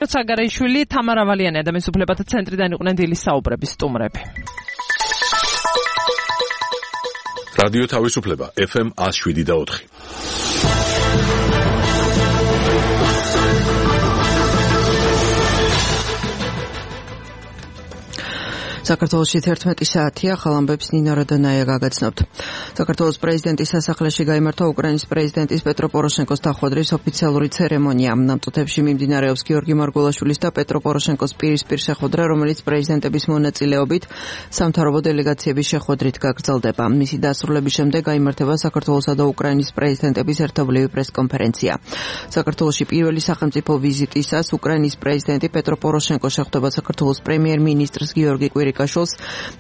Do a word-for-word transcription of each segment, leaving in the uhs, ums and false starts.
საგარეიშვილი, თამარ ავალიანი ადამიანის უფლებათა ცენტრიდან იყვნენ დილის საუბრების სტუმრები. რადიო თავისუფლება ეფ ემ one oh seven და four. საქართველოში თერთმეტი საათია, ახალ ამბებს ნინო როდონაია გაგაცნობთ. საქართველოს პრეზიდენტის სასახლეში გაიმართა უკრაინის პრეზიდენტის პეტრო პოროშენკოს დახვედრის ოფიციალური ცერემონია. ნამწუთებში მიმდინარეობს გიორგი მარგველაშვილის და პეტრო პოროშენკოს პირისპირ შეხვედრა, რომელიც პრეზიდენტების მონაწილეობით სამთავრობო დელეგაციების შეხვედრით გაგრძელდება. მისი დასრულების შემდეგ გაიმართება საქართველოსა და უკრაინის პრეზიდენტების ერთობლივი პრესკონფერენცია. საქართველოში პირველი სახელმწიფო ვიზიტისას უკრაინის პრეზიდენტი პეტრო პოროშენკო შეხვდება საქართველოს პრემიერ-მინისტრს გიორგი კვირიკაშვილს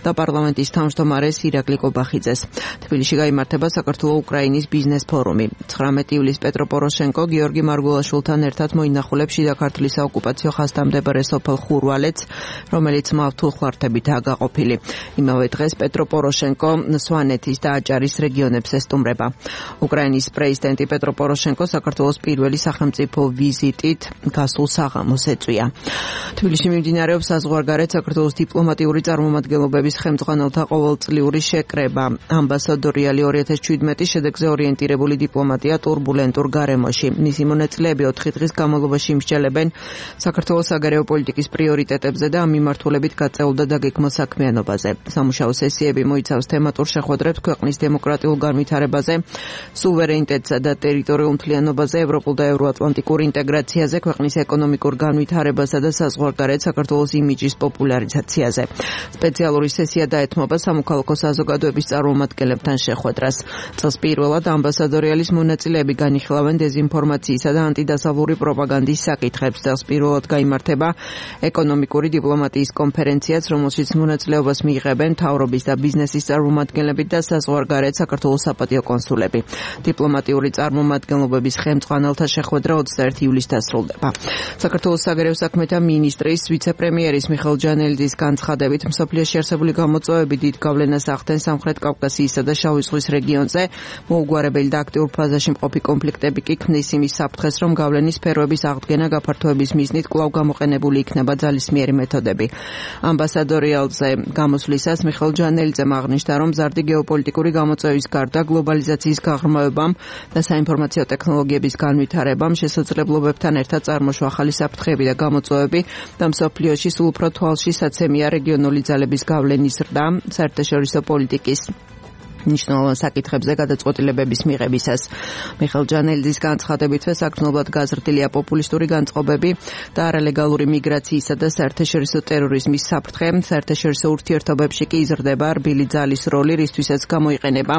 და პარლამენტის თავმჯდომარეს ირაკლი კობახიძეს. თბილისში გაიმართება საქართველო-უკრაინის ბიზნეს ფორუმი. ცხრამეტი ივლისს პეტრო პოროშენკო გიორგი მარგველაშვილთან ერთად მოინახულებს შიდა ქართლის საოკუპაციო ხაზთან მდებარე სოფელ ხურვალეთს, რომელიც მავთულხლართებითაა გაყოფილი. იმავე დღეს პეტრო პოროშენკო სვანეთის და აჭარის რეგიონებს ესტუმრება. უკრაინის პრეზიდენტი პეტრო პოროშენკო საქართველოს პირველი სახელმწიფო ვიზიტით გასულ საღამოს ეწვია. თბილისში მიმდინარეობს საზღვარგარეთ საქართველოს დიპლომატიური წარმომადგენლობების ხელმძღვანელთა ყოველწლიური შეკრება. ამბასადორიალი ორი ათას შვიდმეტი შედეგზე ორიენტირებული დიპლომატია ტურბულენტურ გარემოში. მისი მონაწილეები ოთხი დღის განმავლობაში იმსჯელებენ საქართველოს საგარეო პოლიტიკის პრიორიტეტებზე და ამ მიმართულებით გაწეულ და დაგეგმილ საქმიანობაზე. სამუშაო სესიები მოიცავს თემატურ შეხვედრებს ქვეყნის დემოკრატიულ განვითარებაზე, სუვერენიტეტსა და ტერიტორიულ მთლიანობაზე, ევროპულ და ევროატლანტიკურ ინტეგრაციაზე, ქვეყნის ეკონომიკურ განვითარებასა და საზღვარგარეთ საქართველოს იმიჯის პოპულარიზაციაზე. სპეციალური სესია დაეთმობა სამოქალაქო საზოგადოების წარმომადგენლებთან შეხვედრას. წელს პირველად ამბასადორიალის მონაწილეები განიხილავენ დეზინფორმაციისა და ანტიდასავლური პროპაგანდის საკითხებს. წელს პირველად გაიმართება ეკონომიკური დიპლომატიის კონფერენციაც, რომელშიც მონაწილეობას მიიღებენ მთავრობის და ბიზნესის წარმომადგენლები და საზღვარგარეთ საქართველოს საპატიო კონსულები. დიპლომატიური წარმომადგენლობების ხელმძღვანელთა შეხვედრა ოცდაერთი ივლისს დასრულდება. საქართველოს საგარეო საქმეთა მინისტრის ვიცე-პრემიერის მიხეილ ჯანელიძის განცხადებით, მსოფლიოში არსებული გამოწვევები დიდ გავლენას ახდენს სამხრეთ კავკასიისა და შავი ზღვის რეგიონზე. მოუგვარებელი და აქტიურ ფაზაში მყოფი კონფლიქტები კი ქმნის იმის საფრთხეს, რომ გავლენის სფეროების აღდგენა გაფართოების მიზნით კვლავ გამოყენებული იქნება ძალისმიერი მეთოდები. ამბასადორიალზე გამოსვლისას მიხეილ ჯანელიძემ აღნიშნა, რომ მზარდი გეოპოლიტიკური გამოწვევის გარდა გლობალიზაციის გაღრმავებამ და საინფორმაციო ტექნოლოგიების განვითარებამ შესაძლებლობებთან ერთად წარმოშვა ახალი საფრთხეები და გამოწვევები და მსოფლიოში სულ უფრო თვალში საცემია რეგიონული ძალების გავლენის ზრდა საერთაშორისო პოლიტიკის ნიშნულოვან საკითხებზე გადაწყვეტილებების მიღებისას. მიხეილ ჯანელიძის განცხადებითვე საგრძნობლად გაზრდილია პოპულისტური განწყობები და არალეგალური მიგრაციისა და საერთაშორისო ტერორიზმის საფრთხე. საერთაშორისო ურთიერთობებში კი იზრდება რბილი ძალის როლი, რისთვისაც გამოიყენება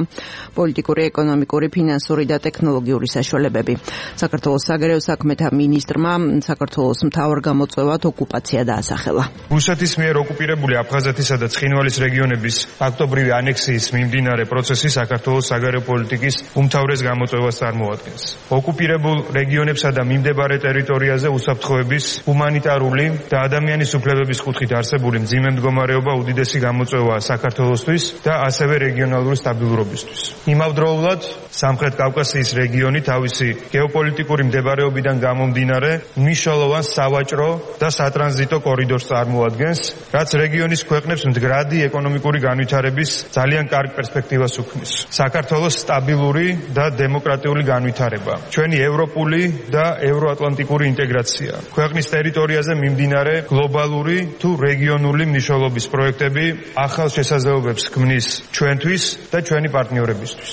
პოლიტიკური, ეკონომიკური, ფინანსური და ტექნოლოგიური საშუალებები. საქართველოს საგარეო საქმეთა მინისტრმა საქართველოს მთავარ გამოწვევად ოკუპაცია დაასახელა. რუსეთის მიერ ოკუპირებული აფხაზეთისა და ცხინვალის რეგიონების ფაქტობრივი ანექსიის მიმდინარე პროცესი საქართველოს საგარეო პოლიტიკის უმთავრეს გამოწვევას წარმოადგენს. ოკუპირებულ რეგიონებსა და მიმდებარე ტერიტორიაზე უსაფრთხოების, ჰუმანიტარული და ადამიანის უფლებების კუთხით არსებული მძიმე მდგომარეობა უდიდესი გამოწვევაა საქართველოსთვის და ასევე რეგიონალური სტაბილურობისთვის. იმავდროულად, სამხრეთ კავკასიის რეგიონი თავისი გეოპოლიტიკური მდებარეობიდან გამომდინარე მნიშვნელოვან სავაჭრო და სატრანზიტო კორიდორს წარმოადგენს, რაც რეგიონის ქვეყნებს მდგრადი ეკონომიკური განვითარების ძალიან კარგ პერსპექტივას უქმნის. საქართველოს სტაბილური და დემოკრატიული განვითარება, ჩვენი ევროპული და ევროატლანტიკური ინტეგრაცია, ქვეყნის ტერიტორიაზე მიმდინარე გლობალური თუ რეგიონული მნიშვნელობის პროექტები ახალ შესაძლებლობებს ქმნის ჩვენთვის და ჩვენი პარტნიორებისთვის.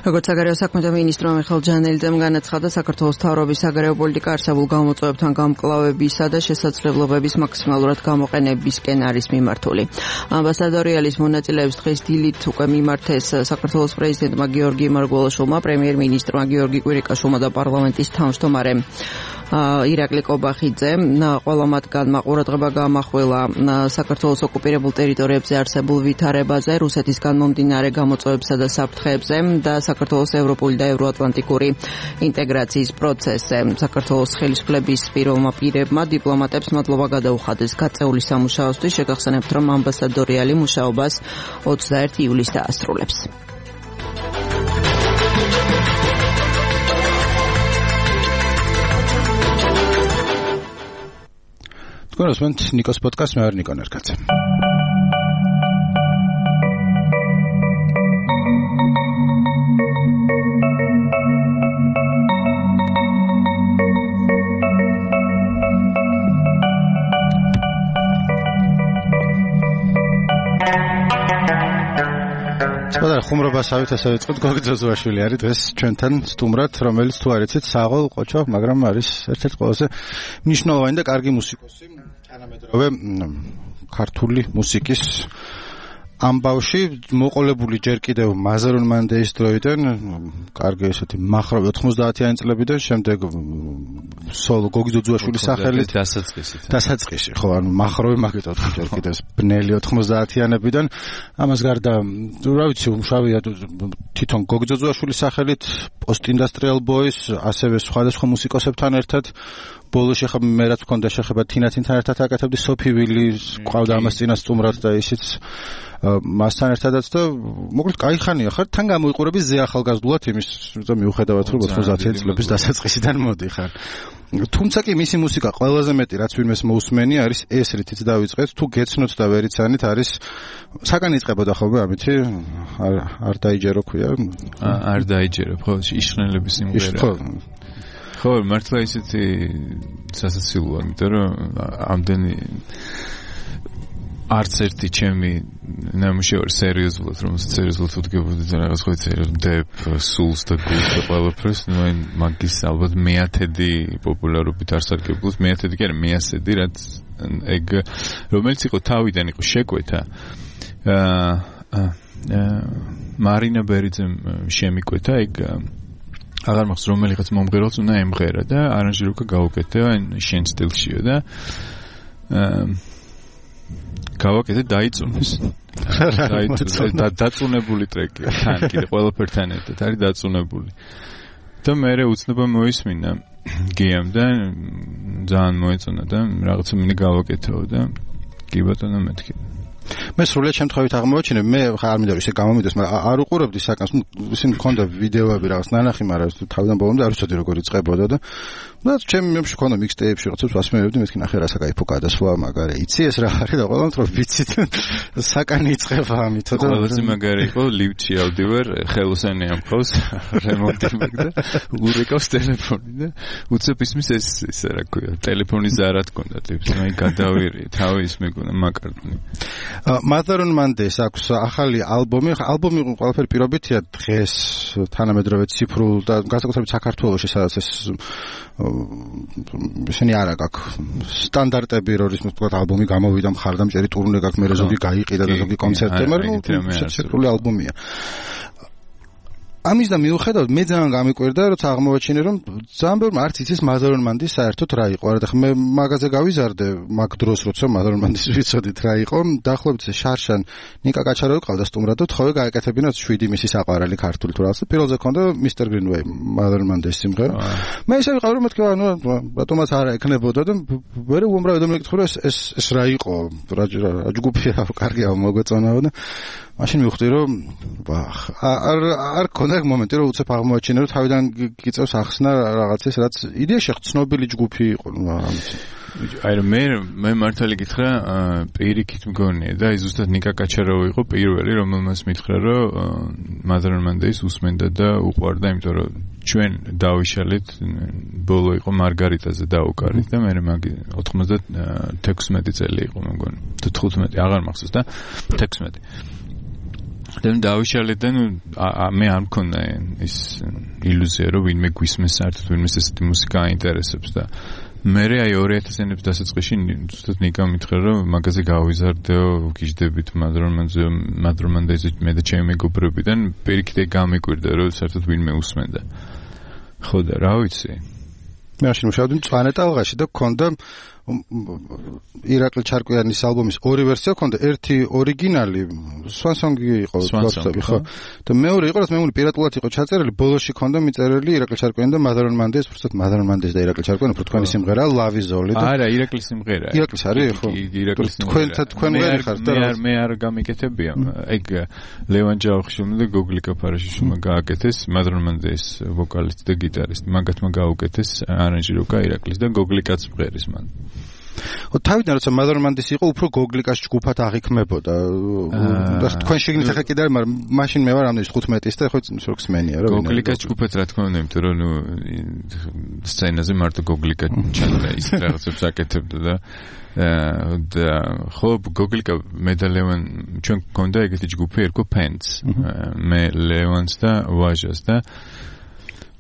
როგორც საგარეო საქმეთა მინისტრმა მიხეილ ჯანელიძემ განაცხადა, საქართველოს მთავრობის საგარეო პოლიტიკა არსებულ გამოწვევებთან გამკლავებისა და შესაძლებლობების მაქსიმალურად გამოყენებისკენ არის მიმართული. ამბასადორიალის მონაწილეებს დღეს დილით უკვე მიმართეს საქართველოს პრეზიდენტმა გიორგი მარგველაშვილმა, პრემიერ-მინისტრმა გიორგი კვირიკაშვილმა და პარლამენტის თავმჯდომარემ ირაკლი კობახიძე. ყველა მათგანმა ყურადღება გაამახვილა საქართველოს ოკუპირებულ ტერიტორიებზე არსებულ ვითარებაზე, რუსეთისგან მომდინარე გამოწვევებსა და საფრთხეებზე და საქართველოს ევროპული და ევროატლანტიკური ინტეგრაციის პროცესზე. საქართველოს ხელისუფლების პირველმა პირებმა დიპლომატებს მადლობა გადაუხადეს გაწეული სამუშაოსთვის. შეგახსენებთ, რომ ამბასადორიალი მუშაობას ოცდაერთი ივლისს დაასრულებს. თქვენ უსმენთ ნიკოს პოდკასტს, მე ვარ ნიკო ნერგაძე. და ხუმრობასავით ასე ვიწყოთ. გოგი ძოძუაშვილი არის დღეს ჩვენთან სტუმრად, რომელიც თუ არ იცით საღოლ ყოჩა, მაგრამ არის ერთ-ერთი ყველაზე მნიშვნელოვანი და კარგი მუსიკოსი თანამედროვე ქართული მუსიკის ამბავში, მოყოლებული ჯერ კიდევ მაზარონ მანდეის დროიდან, კარგი ესეთი მახროვი ოთხმოცდაათიანი წლებიდან, შემდეგ სოლო გოგი ძოძუაშვილის სახელით დასაწყისით. დასაწყისი, ხო, ანუ მახროვი მაგით ოთხ ჯერ კიდევ ბნელი ოთხმოცდაათიანებიდან. ამას გარდა, რა ვიცი, უმშავია თვითონ გოგი ძოძუაშვილის სახელით, პოსტ-ინდუსტრიალ ბოის, ასევე სხვადასხვა მუსიკოსებთან ერთად. ბოლოში ხა მე რაც მქონდა შეხება თინათინთან ერთად აკეთებდი, სოფი ვილის ყავდა ამას წინა სტუმრად და ისიც მასთან ერთადაც და მოკლედ კაი ხანია ხარ, თან გამოიყურები ზე ახალგაზრდულად იმის, რომ მიუხედავად რომ ოთხმოცდაათიანი წლების დასაწყისიდან მოდიხარ. თუმცა კი მისი მუსიკა ყველაზე მეტი რაც ვინმეს მოусმენი არის ეს, რითიც დავიწყეთ, თუ გეცნოთ და ვერ იცანით, არის საკანი იწყებოდა ხოლმე ამითი არ არ დაიჯერო ქვია. არ დაიჯერო, ხო, იშხნელების სიმღერა. ხო, მართლა ისეთი სასაცილოა, იმიტომ რომ ამდენი არც ერთი ჩემი ნამუშევარი სერიოზულად, რომელსაც სერიოზულად ვდგებოდი და რაღაც ხო იცი, დებ, სულს და გულს და ყველაფერს, ნუ აი მაგის ალბათ მეათედი პოპულარობით არ სარგებლობს, მეათედი კი არა, მეასედი, რაც ეგ რომელიც იყო თავიდან იყო შეკვეთა. აა მარინა ბერიძემ შემიკვეთა ეგ აღარ მახსოვს რომელიღაც მომღერალს უნდა ემღერა და არანჟირება გაუკეთა შენ სტილშიო და გავაკეთე დაიწუნეს. და დაწუნებული ტრეკია. თან კიდე ყველაფერთან ერთად არის დაწუნებული. და მე უცნობა მოისმინა გიამ და ძალიან მოეწონა და რაღაცა მინდა გავაკეთეო და კი ბატონო მეთქი. მე სრულად შემთხვევით აღმოვაჩინე, მე ხა არ მინდა ისე გამომიდეს, მაგრამ არ უყურებდი საკანს, ისინი მქონდა ვიდეოები რაღაც ნანახი, მაგრამ თავიდან ბოლომდე არ ვიცოდი როგორ იწყებოდა და და ჩემი მემში მქონდა მიქსტეიპში რაღაცებს ვასმევებდი, მეთქი ნახე რა საკაიფო გადასვლა, მაგარი იცი ეს რა არის და ყველამ თქო ვიცით საკანი იწყება ამითო და ყველაზე მაგარი იყო ლიფტში ავდივარ, ხელოსანი ამხავს რემონტი მაგდა, ურეკავს ტელეფონი და უცებ ისმის ეს ისე რა ქვია, ტელეფონის ზარად კონდა ტიპს, მე გადავირი, თავი ის მეკონა მაკარტნი. მაზარონ მანდეს აქვს ახალი ალბომი, ალბომი ყველაფერი პირობითია დღეს თანამედროვე ციფრულ და განსაკუთრებით საქართველოში, სადაც ეს ისინი არ აქვს სტანდარტები, როდის თქვა ალბომი გამოვიდა, მხარდამჭერი ტურნე გაქვს, მე ზოგი გაიყიდა და ზოგი კონცერტი, მაგრამ ციფრული ალბომია. ამის და მიუხედავად მე ძალიან გამიკვირდა, როცა აღმოვაჩინე, რომ ძალიან ბევრმა არც იცის მაზარონ მანდის საერთოდ რა იყო. არა და მე მაგაზე გავიზარდე მაგ დროს, როცა მაზარონ მანდის ვიცოდით რა იყო. დაახლოებით შარშან ნიკა კაჩარავი ყავდა სტუმრად და თხოვე გააკეთებინათ შვიდი მისი საყვარელი ქართული თუ რაღაცა. პირველზე ქონდა მისტერ გრინვეი, მაზარონ მანდის სიმღერა. მე ისე ვიყავ, რომ მეთქი, ანუ ბატონმაც არ ეკნებოდა და მე უამრავი ადამიანი მეკითხა, ეს ეს ეს რა იყო? რა ჯგუფია, კარგია, მოგვეწონაო და მაშინ მივხვდი, რომ ვახ, არ არ ქონდა მომენტი, რომ უცებ აღმოაჩინე, რომ თავიდან გიწევს ახსნა რაღაცის, რაც იდეაში ცნობილი ჯგუფი იყო, ნუ ამით. აი მე მე მართალი გითხრა, პირიქით მგონია და ის ზუსტად ნიკა კაჩარავი იყო პირველი, რომელმაც მითხრა, რომ მაზარონ მანდეის უსმენდა და უყვარდა, იმიტომ რომ ჩვენ დავიშალეთ, ბოლო იყო მარგარიტაზე დაუკარით და მე მაგი ოთხმოცდათექვსმეტი წელი იყო, მე მგონი. თუ თხუთმეტი, აღარ მახსოვს და თექვსმეტი. და დავიშალეთ და მე არ მქონდა ის ილუზია, რომ ვინმე გვისმენს საერთოდ, ვინმე ესეთი მუსიკა აინტერესებს და მე აი ორი ათასი წლების დასაწყისში ზუსტად ნიკა მითხრა, რომ მაგაზე გავიზარდეო, ვგიჟდებით მაზარონ მანდეზე მე და ჩემი მეგობრებიდან, პირიქით გამიკვირდა, რომ საერთოდ ვინმე უსმენდა. ხო და რა ვიცი. მე მაშინ მუშაობდი მწვანე ტალღაში და გქონდა ირაკლი ჩარკვიანის ალბომის ორი ვერსია ქონდა, ერთი ორიგინალი, სვანსონგი იყო, ხო. და მეორე იყო, რაც მე მგონი პირატულად იყო ჩაწერილი, ბოლოში ქონდა მიწერილი ირაკლი ჩარკვიანი და მაზარონ მანდეს, უბრალოდ მაზარონ მანდეს და ირაკლი ჩარკვიანი, უფრო თქვენი სიმღერა, ლავი ზოლი და არა, ირაკლის სიმღერაა. ირაკლის არის, ხო. ირაკლის სიმღერა. თქვენ თქვენ ვერ ხართ და მე არ მე არ გამიკეთებია. ეგ ლევან ჯავახიშვილმა და გოგლი კაფარაშიშვილმა გააკეთეს, მაზარონ მანდეს ვოკალისტი და გიტარისტი, მაგათმა გაუკეთეს არანჟირება ირაკლის და გოგლი კაცმღერის მან. თავიდან როცა მაზარმანდის იყო, უფრო გოგლიკას ჯგუფად აღიქმებოდა. და თქვენ შეგნით ახლა კიდე, მაგრამ მაშინ მე ვარ ამდენი თხუთმეტის და ხო ისე ხსმენია რა. გოგლიკას ჯგუფად რა თქმა უნდა, იმიტომ რომ ნუ სცენაზე მარტო გოგლიკა ჩანდა ის რაღაცებს აკეთებდა და და ხო გოგლიკა მე და ლევან ჩვენ გქონდა ეგეთი ჯგუფი ერქვა Pants. მე ლევანს და ვაჟას და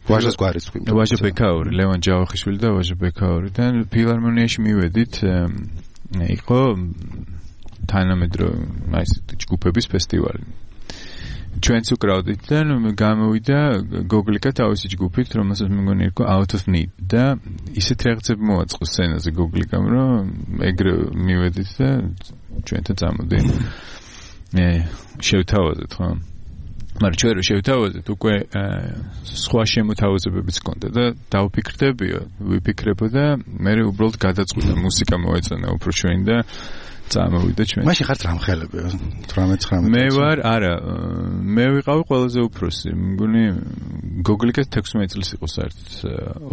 ვაჟას გვარის თქვი. ვაჟა ბეკაური, ლევან ჯავახიშვილი და ვაჟა ბეკაური და ფილარმონიაში მივედით იყო თანამედროვე აი ეს ჯგუფების ფესტივალი. ჩვენც უკრავდით და გამოვიდა გოგლიკა თავისი ჯგუფით, რომელსაც მე მგონი იყო Out of Need და ისეთ რაღაცები მოაწყო სცენაზე გოგლიკამ, რომ ეგრე მივედით და ჩვენთან წამოდი. მე შევთავაზეთ ხო? მაგრამ ჩვენ რო შევთავაზეთ, უკვე სხვა შემოთავაზებებიც ჰქონდა და დავფიქრდებიო, ვიფიქრებო და მე უბრალოდ გადაწყვიტა მუსიკა მოეწონა უფრო ჩვენ და წამოვიდა ჩვენ. მაშინ ხართ რამხელებია თვრამეტ ცხრამეტ. მე ვარ, არა, მე ვიყავი ყველაზე უფროსი. მგონი გოგლიკას თექვსმეტ წლის იყო საერთოდ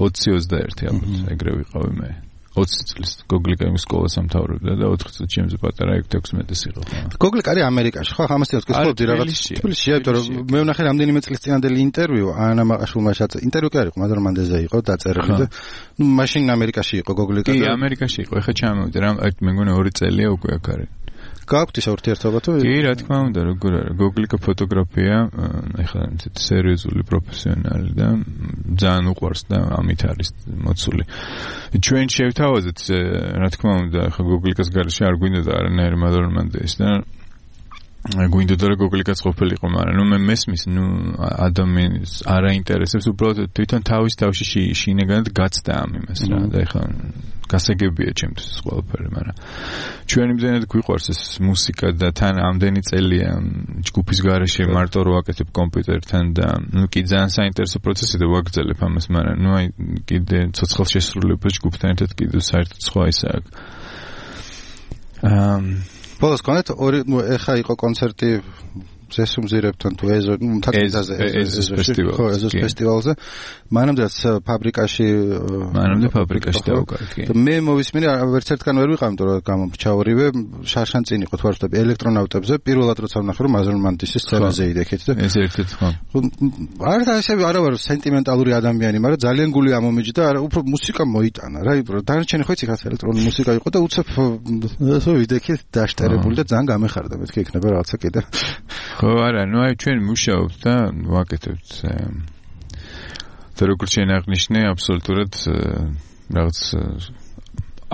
ოცი ოცდაერთი ალბათ ეგრე ვიყავი მე. ოცი წლის გოგლიკა იმ სკოლას ამთავრებდა და ოთხ წელს ჩემზე პატარა იქ თექვსმეტის იყო. გოგლიკა არის ამერიკაში, ხო? ამას თვითონ გქონდი რაღაც თბილისში, იმიტომ რომ მე ვნახე რამდენიმე წლის წინანდელი ინტერვიუ ანა მაყაშვილმაშაც ინტერვიუ კი არ იყო, მაზარმანდეზე იყო დაწერილი და ნუ მაშინ ამერიკაში იყო გოგლიკა. კი, ამერიკაში იყო. ეხლა ჩამოვიდა რა, მე მგონი ორი წელია უკვე აქ არის. გააქვთ ის ურთიერთობა თუ? კი, რა თქმა უნდა, როგორ არის. გოგლიკა ფოტოგრაფია, ეხლა ისეთი სერიოზული პროფესიონალი და ძალიან უყვარს და ამით არის მოცული. ჩვენ შევთავაზეთ, რა თქმა უნდა, ეხლა გოგლიკას გარეშე არ გვინდოდა არანაირი მაზარმანდეის და გვინდოდა რომ გოგლიკაც ყოფილიყო, მაგრამ ნუ მე მესმის, ნუ ადამიანს არ აინტერესებს, უბრალოდ თვითონ თავის თავში შინაგანად გაცდა ამ იმას რა და ეხლა გასაგებია ჩემთვის ყველაფერი, მაგრამ ჩვენ იმდენად გვიყვარს ეს მუსიკა და თან ამდენი წელია ჯგუფის გარეშე მარტო რო ვაკეთებ კომპიუტერთან და ნუ კი ძალიან საინტერესო პროცესი და ვაგრძელებ ამას, მაგრამ ნუ აი კიდე ცოცხალ შესრულებას ჯგუფთან ერთად კიდე საერთოდ სხვა ისაა. აა ბოლოს კონეთ ორი ეხა იყო კონცერტი ზესუმზირებთან თუ ეზო თაკიზაზე ეზოს ფესტივალზე ხო ეზოს ფესტივალზე მანამდეც ფაბრიკაში მანამდე ფაბრიკაში დავუკარგი მე მოვისმინე ვერც ერთგან ვერ ვიყავ იმიტომ რომ გამომრჩა ორივე შარშან წინ იყო თვარს და ელექტრონავტებზე პირველად როცა ვნახე რომ მაზარმანდისის სცენაზე იდექეთ და ეს ერთ-ერთი ხო არ და ესე არა ვარ სენტიმენტალური ადამიანი მაგრამ ძალიან გული ამომიჯდა არა უფრო მუსიკა მოიტანა რა დანარჩენი ხო იცი ხაც ელექტრონული მუსიკა იყო და უცებ ესე ვიდექეთ დაშტერებული და ძალიან გამეხარდა მეთქი იქნება რაღაცა კიდე ხო არა ნუ აი ჩვენ მუშაობთ და ვაკეთებთ და როგორც შენ აღნიშნე აბსოლუტურად რაღაც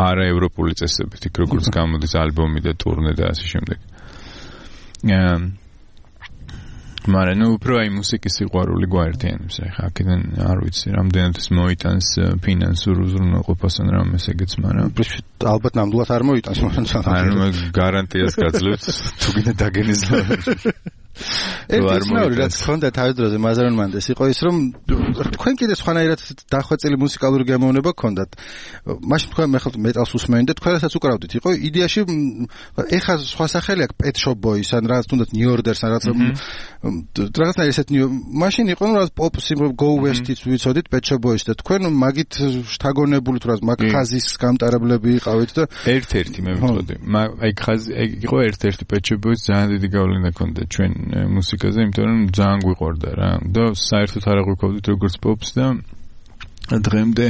არა ევროპული წესებით იქ როგორც გამოდის ალბომი და ტურნე და ასე შემდეგ მაგრამ ნუ უფრო აი მუსიკის სიყვარული გვაერთიანებს ახლა აქედან არ ვიცი რამდენად ეს მოიტანს ფინანსურ უზრუნველყოფას ან რამეს ეგეც მაგრამ ალბათ ნამდვილად არ მოიტანს მაგრამ ანუ გარანტიას გაძლევთ თუ კიდე დაგენიზლა ერთხელ რაც ხონდა თავის დროზე მაზარმანდეს იყო ის რომ თქვენ კიდე სხვანაირად დახვეწილი მუსიკალური გემოვნება გქონდათ მაშინ თქვენ მე ხალხ მეტალს უსმენთ და თქვენასაც უკრავდით იყო იდეაში ეხა სხვა სახელი აქვს Pet Shop Boys ან რაღაც თუნდაც New Order-ს ან რაღაც რაღაცნაირ ესეთ მაშინ იყო რომ რაღაც pop სიმღერა Go West-იც ვიცოდით Pet Shop Boys და თქვენ მაგით შთაგონებული თუ რაღაც მაგ ხაზის გამტარებლები იყავით და ერთ-ერთი მე ვიტყოდი აი ხაზი იყო ერთ-ერთი Pet Shop Boys ძალიან დიდი გავლენა ჰქონდა ჩვენ მუსიკაზე, იმიტომ რომ ძალიან გვიყვარდა რა. და საერთოდ არ აღვიქოვდით როგორც პოპს და დღემდე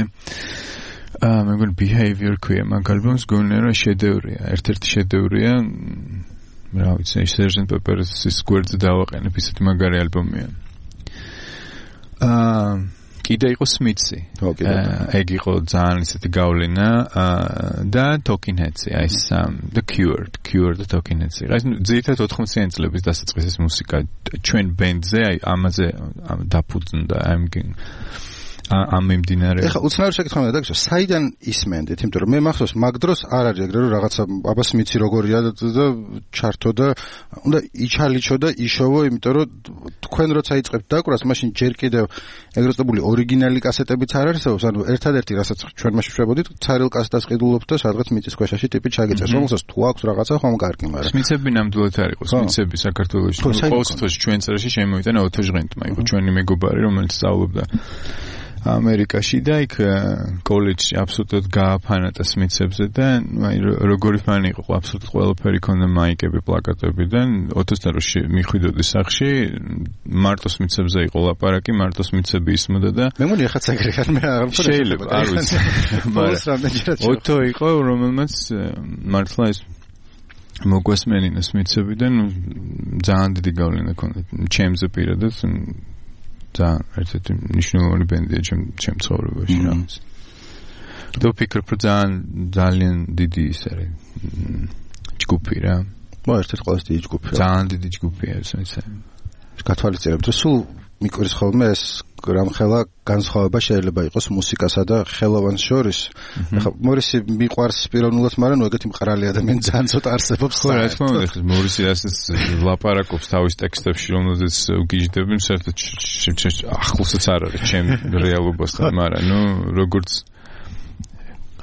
აა მე მგონი Behavior ქვია მაგ ალბომს გონერა შედევრია, ერთ-ერთი შედევრია. რა ვიცი, Sergeant Pepper's გვერდზე დავაყენებ, ისეთი მაგარი ალბომია. აა კიდე იყო Smiths-ი. ეგ იყო ძალიან ისეთი გავლენა და Talking Heads-ი, აი The Cure, Cure და Talking Heads-ი. აი ძირითადად ოთხმოციანი წლების დასაწყისის მუსიკა ჩვენ ბენდზე აი ამაზე დაფუძნდა ამ ამ მიმდინარე. ეხლა უცნაური შეკითხვა მინდა დაგისვა, საიდან ისმენდით? იმიტომ რომ მე მახსოვს მაგ დროს არ არის ეგრე რომ რაღაცა აბა სმიცი როგორია და ჩართო და უნდა იჩალიჩო და იშოვო, იმიტომ რომ თქვენ როცა იწყებთ დაკვრას, მაშინ ჯერ კიდევ ეგრეთ წოდებული ორიგინალი კასეტებიც არ არსებობს, ანუ ერთადერთი რასაც ჩვენ მაშინ შვებოდით, ცარილ კასეტას ყიდულობთ და სადღაც მიწის ქვეშაში ტიპი ჩაგეწეს, რომელსაც თუ აქვს რაღაცა ხომ კარგი, მაგრამ სმიცები ნამდვილად არ იყო, სმიცები საქართველოში ყოველ წელს ჩვენ წერაში შემოიტანა ოთო ჟღენტმა, იყო ჩვენი მეგობარი, რომელიც სწავლობდა ამერიკაში და იქ კოლეჯში აბსოლუტურად გააფანატა სმიცებზე და აი როგორი ფანი იყო, აბსოლუტურად ყველაფერი ქონდა, მაიკები, პლაკატები და ოცდაოთხ წელს მიხვიდოდი სახლში, მარტო სმიცებზე იყო ლაპარაკი, მარტო სმიცები ისმოდა და მე მგონი ახაც ეგრე ხარ, მე არ მქონდა შეიძლება, არ ვიცი. ოტო იყო, რომელმაც მართლა ის მოგვესმენინა სმიცებიდან ძალიან დიდი გავლენა ქონდა ჩემზე პირადად. ძალიან ერთ-ერთი მნიშვნელოვანი ბენდია ჩემ ჩემ ცხოვრებაში რაღაც. და ვფიქრობ, რომ ძალიან ძალიან დიდი ის არის ჯგუფი რა. მო ერთ-ერთი ყველაზე დიდი ჯგუფი. ძალიან დიდი ჯგუფია ეს ისე. გათვალისწინებთ, რომ სულ მიკვირს ხოლმე ეს რამხელა განსხვავება შეიძლება იყოს მუსიკასა და ხელოვანს შორის. ახლა მორისი მიყვარს პიროვნულად, მაგრამ ნუ ეგეთი მყრალი ადამიანი ძალიან ცოტა არსებობს. ხო, რა თქმა უნდა, ხა მორისი ასეც ლაპარაკობს თავის ტექსტებში, რომელზეც უგიჟდები, საერთოდ ახლოსაც არ არის ჩემ რეალობასთან, მაგრამ ნუ როგორც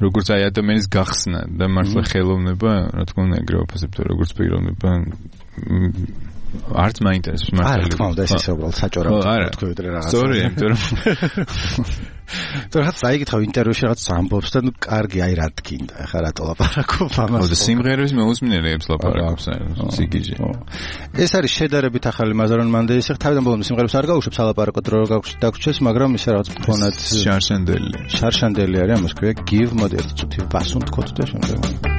როგორც აი ადამიანის გახსნა და მართლა ხელოვნება, რა თქმა უნდა, ეგრე ვაფასებ, როგორც პიროვნება არც მაინტერესებს მართლა. არა, თქმა უნდა, ეს ისე უბრალოდ საჭორავად თქვი ვიდრე რაღაც. სწორია, იმიტომ რომ თუ რაღაც წაიგითხავ ინტერვიუში რაღაც ამბობს და ნუ კარგი, აი რა თქინდა, ახლა რატო ლაპარაკობ ამას. ხო, და სიმღერების მეუძმინეებს ლაპარაკობს, სიგიჟე. ეს არის შედარებით ახალი მაზარონ მანდეის, ახლა თავიდან ბოლომდე სიმღერებს არ გაუშვებს ალაპარაკო დრო დაგვრჩეს, მაგრამ ისე რაღაც ფონად შარშანდელი. შარშანდელი არის, ამას ქვია give მოდი ერთ წუთი ბასუნ თქოთ და შემდეგ.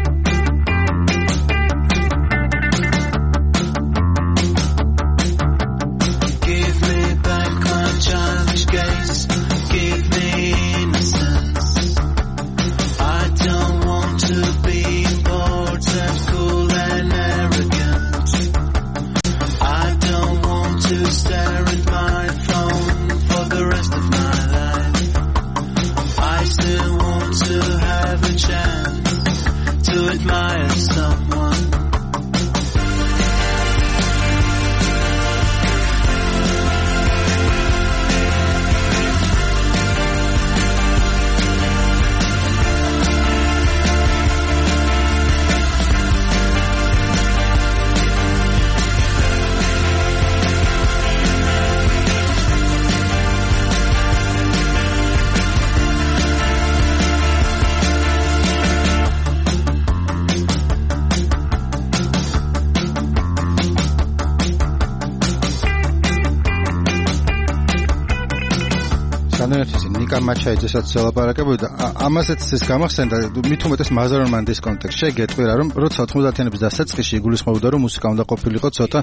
მაჩაიძესაც ელაპარაკებოდა და ამასაც ეს გამახსენდა მით უმეტეს მაზარონ მანდის კონტექსტში გეტყვირა რომ როცა ოთხმოცდაათიანების დასაწყისში იგულისხმებოდა რომ მუსიკა უნდა ყოფილიყო ცოტა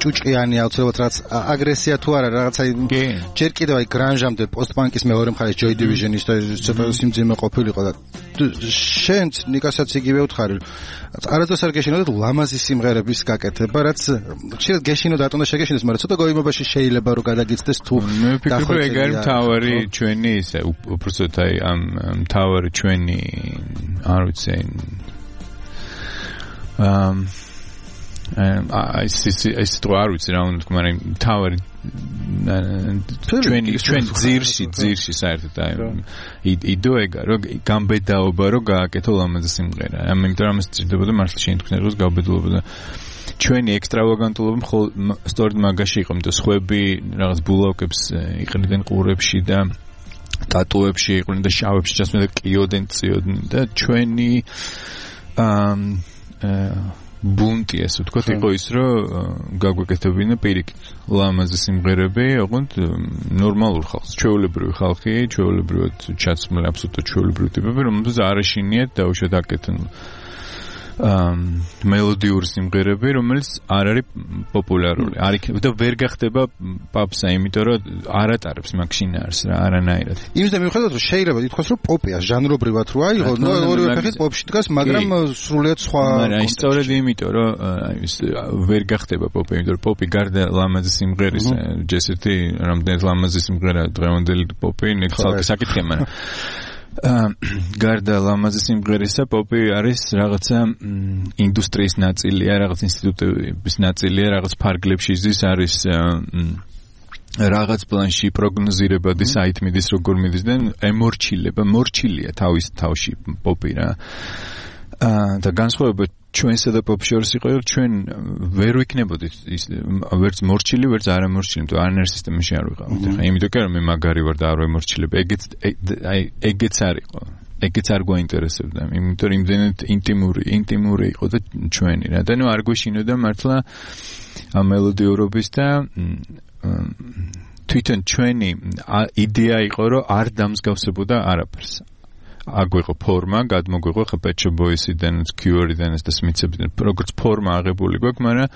ჭუჭყიანი აუცილებლად რაც აგრესია თუ არა რაღაცა ჯერ კიდევ აი გრანჟამდე პოსტპანკის მეორე მხარეს ჯოი დივიჟენის და ცოტა სიმძიმე ყოფილიყო და შენც ნიკასაც იგივე უთხარი არასდროს არ გეშინოდა ლამაზი სიმღერების გაკეთება რაც შეიძლება გეშინოდა ატონდა შეგეშინდეს მაგრამ ცოტა გოიმობაში შეიძლება რომ გადაგიცდეს თუ მე ვფიქრობ ეგ არის მთავარი ჩვენი ისე უბრალოდ აი ამ მთავარი ჩვენი არ ვიცი ამ აი სი ეს თუ არ ვიცი რა უნდა თქვა მაგრამ მთავარი ჩვენი ჩვენ ძირში ძირში საერთოდ აი იდეა რომ გამბედაობა რომ გააკეთო ლამაზი სიმღერა ამიტომ ამას ჭირდებოდა მართლა შეინთქნეროს გავბედულობა და ჩვენი ექსტრავაგანტულობა სწორედ მაგაში იყო იმიტომ სხვები რაღაც ბულოკებს იყრიდნენ ყურებში და ტატუებში იყვნენ და შავებში ჩასმენ და ყიოდენ წიოდნენ და ჩვენი ბუნტი ესე ვთქვათ იყო ის რომ გაგვეკეთებინა პირიქით ლამაზი სიმღერები ოღონდ ნორმალურ ხალხს ჩვეულებრივი ხალხი ჩვეულებრივად ჩაცმული აბსოლუტურად ჩვეულებრივი ტიპები რომელსაც არ ეშინიათ დაუშვათ აკეთონ მელოდიური სიმღერები რომელიც არ არის პოპულარული არ იქნება და ვერ გახდება პაპსა იმიტომ რომ არ ატარებს მაგ შინაარს რა არანაირად იმის და მიუხედავად რომ შეიძლება ითქვას რომ პოპია ჟანრობრივად რო აიღო ნუ ორივე ფეხით პოპში დგას მაგრამ სრულიად სხვა მაგრამ სწორედ იმიტომ რომ ვერ გახდება პოპი იმიტომ რომ პოპი გარდა ლამაზი სიმღერის ჯესეთი რამდენად ლამაზი სიმღერა დღევანდელი პოპი ნექსალკი საკითხია მაგრამ გარდა ლამაზი სიმღერისა პოპი არის რაღაცა ინდუსტრიის ნაწილია, რაღაც ინსტიტუტების ნაწილია, რაღაც ფარგლებში ზის არის რაღაც პლანში პროგნოზირებადი საით მიდის როგორ მიდის და ემორჩილება, მორჩილია თავის თავში პოპი რა. და განსხვავება ჩვენსა და პოპ შორის იყო ჩვენ ვერ ვიქნებოდით ის ვერც მორჩილი ვერც არამორჩილი თუ არანაირ სისტემაში არ ვიყავით ახლა იმიტომ კი რომ მე მაგარი ვარ და არ ვემორჩილებ ეგეც აი ეგეც არ იყო ეგეც არ გვაინტერესებდა იმიტომ რომ იმდენად ინტიმური ინტიმური იყო და ჩვენი რა და ნუ არ გვეშინოდა მართლა ამ მელოდიურობის და თვითონ ჩვენი იდეა იყო რომ არ დამსგავსებოდა არაფერს აგვიყო ფორმა, გადმოგვიყო ხა Pet Shop Boys-იდან, Cure-იდან და Smiths-იდან, როგორც ფორმა აღებული გვაქვს, მაგრამ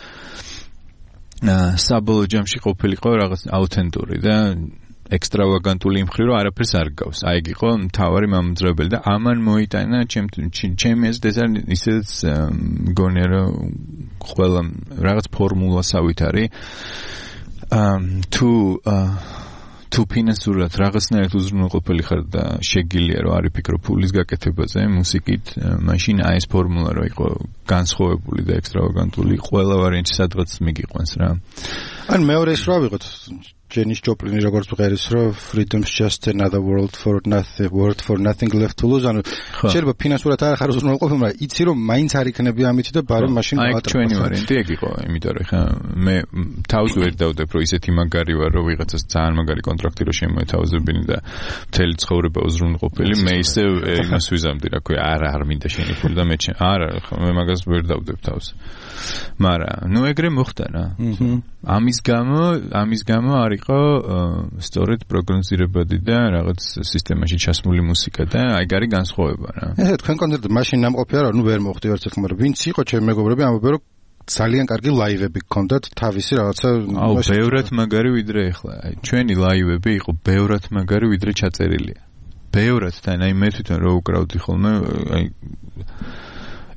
საბოლოო ჯამში ყოფილიყო რაღაც აუთენტური და ექსტრავაგანტული იმ მხრივ, რომ არაფერს არ გავს. აი ეგ იყო მთავარი მამოძრავებელი და ამან მოიტანა ჩემი აზრით ეს არის ისედაც მგონია რომ ყველა რაღაც ფორმულასავით არის თუ თუ ფინანსურად რაღაცნაირად უზრუნველყოფილი ხარ და შეგიძლია რომ არ იფიქრო ფულის გაკეთებაზე მუსიკით, მაშინ აი ეს ფორმულა რო იყო განსხვავებული და ექსტრავაგანტული, ყველა ვარიანტი სადღაც მიგიყვანს რა. ან მეორე ის რა ვიღოთ ჯენის ჯოპლინი როგორც ვღერის რომ freedom's just another world for nothing word for nothing left to lose ანუ შეიძლება ფინანსურად არ ხარ უზრუნველყოფილი, მაგრამ იცი რომ მაინც არ იქნები ამით და ბარემ მაშინ აი ჩვენი ვარიანტი ეგ იყო, იმიტომ რომ ხა მე თავს ვერ დავდებ რომ ისეთი მაგარი ვარ რომ ვიღაცას ძალიან მაგარი კონტრაქტი რო შემოეთავაზებინი და მთელი ცხოვრება უზრუნველყოფილი, მე ისე იმას ვიზამდი რა ქვია, არა არ მინდა შენი ფული და მე არა ხა მე მაგას ვერ დავდებ თავს. მაგრამ ნუ ეგრე მოხდა რა. ამის გამო ამის გამო არ იყო სწორედ პროგნოზირებადი და რაღაც სისტემაში ჩასმული მუსიკა და აი გარი განსხვავება რა. ესე თქვენ კონცერტი მაშინ ნამყოფია რა, ნუ ვერ მოხდი ვერც ახლა, მაგრამ ვინც იყო ჩემი მეგობრები ამბობენ რომ ძალიან კარგი ლაივები გქონდათ თავისი რაღაცა აუ ბევრად მაგარი ვიდრე ახლა. აი ჩვენი ლაივები იყო ბევრად მაგარი ვიდრე ჩაწერილია. ბევრად და აი მე თვითონ რო უკრავდი ხოლმე აი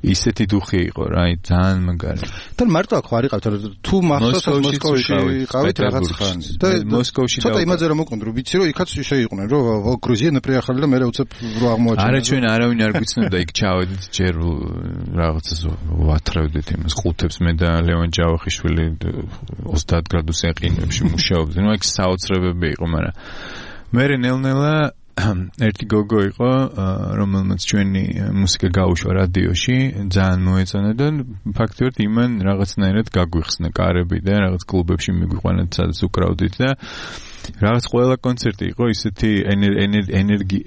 ისეთი დუხი იყო რა, აი ძალიან მაგარი. და მარტო აქ არ იყავთ, თუ მახსოვს მოსკოვში იყავით რაღაც ხანი. და მოსკოვში და იმაზე რომ მოკონდ, რომ ვიცი რომ იქაც შეიყვნენ, რომ გრუზია ნეპრიახალი და მე უცებ რო აღმოაჩინა. არა ჩვენ არავინ არ გვიცნობდა იქ ჩავედით ჯერ რაღაცას ვათრავდით იმას ყუთებს მე და ლევან ჯავახიშვილი ოცდაათ გრადუსი აყინებში მუშაობდნენ. ნუ იქ საოცრებები იყო, მაგრამ მე ნელ-ნელა ერთი გოგო იყო, რომელმაც ჩვენი მუსიკა გაუშვა რადიოში, ძალიან მოეწონა და ფაქტობრივად იმან რაღაცნაირად გაგვიხსნა კარები და რაღაც კლუბებში მიგვიყვანა, სადაც უკრავდით და რაღაც ყველა კონცერტი იყო ისეთი ენერგი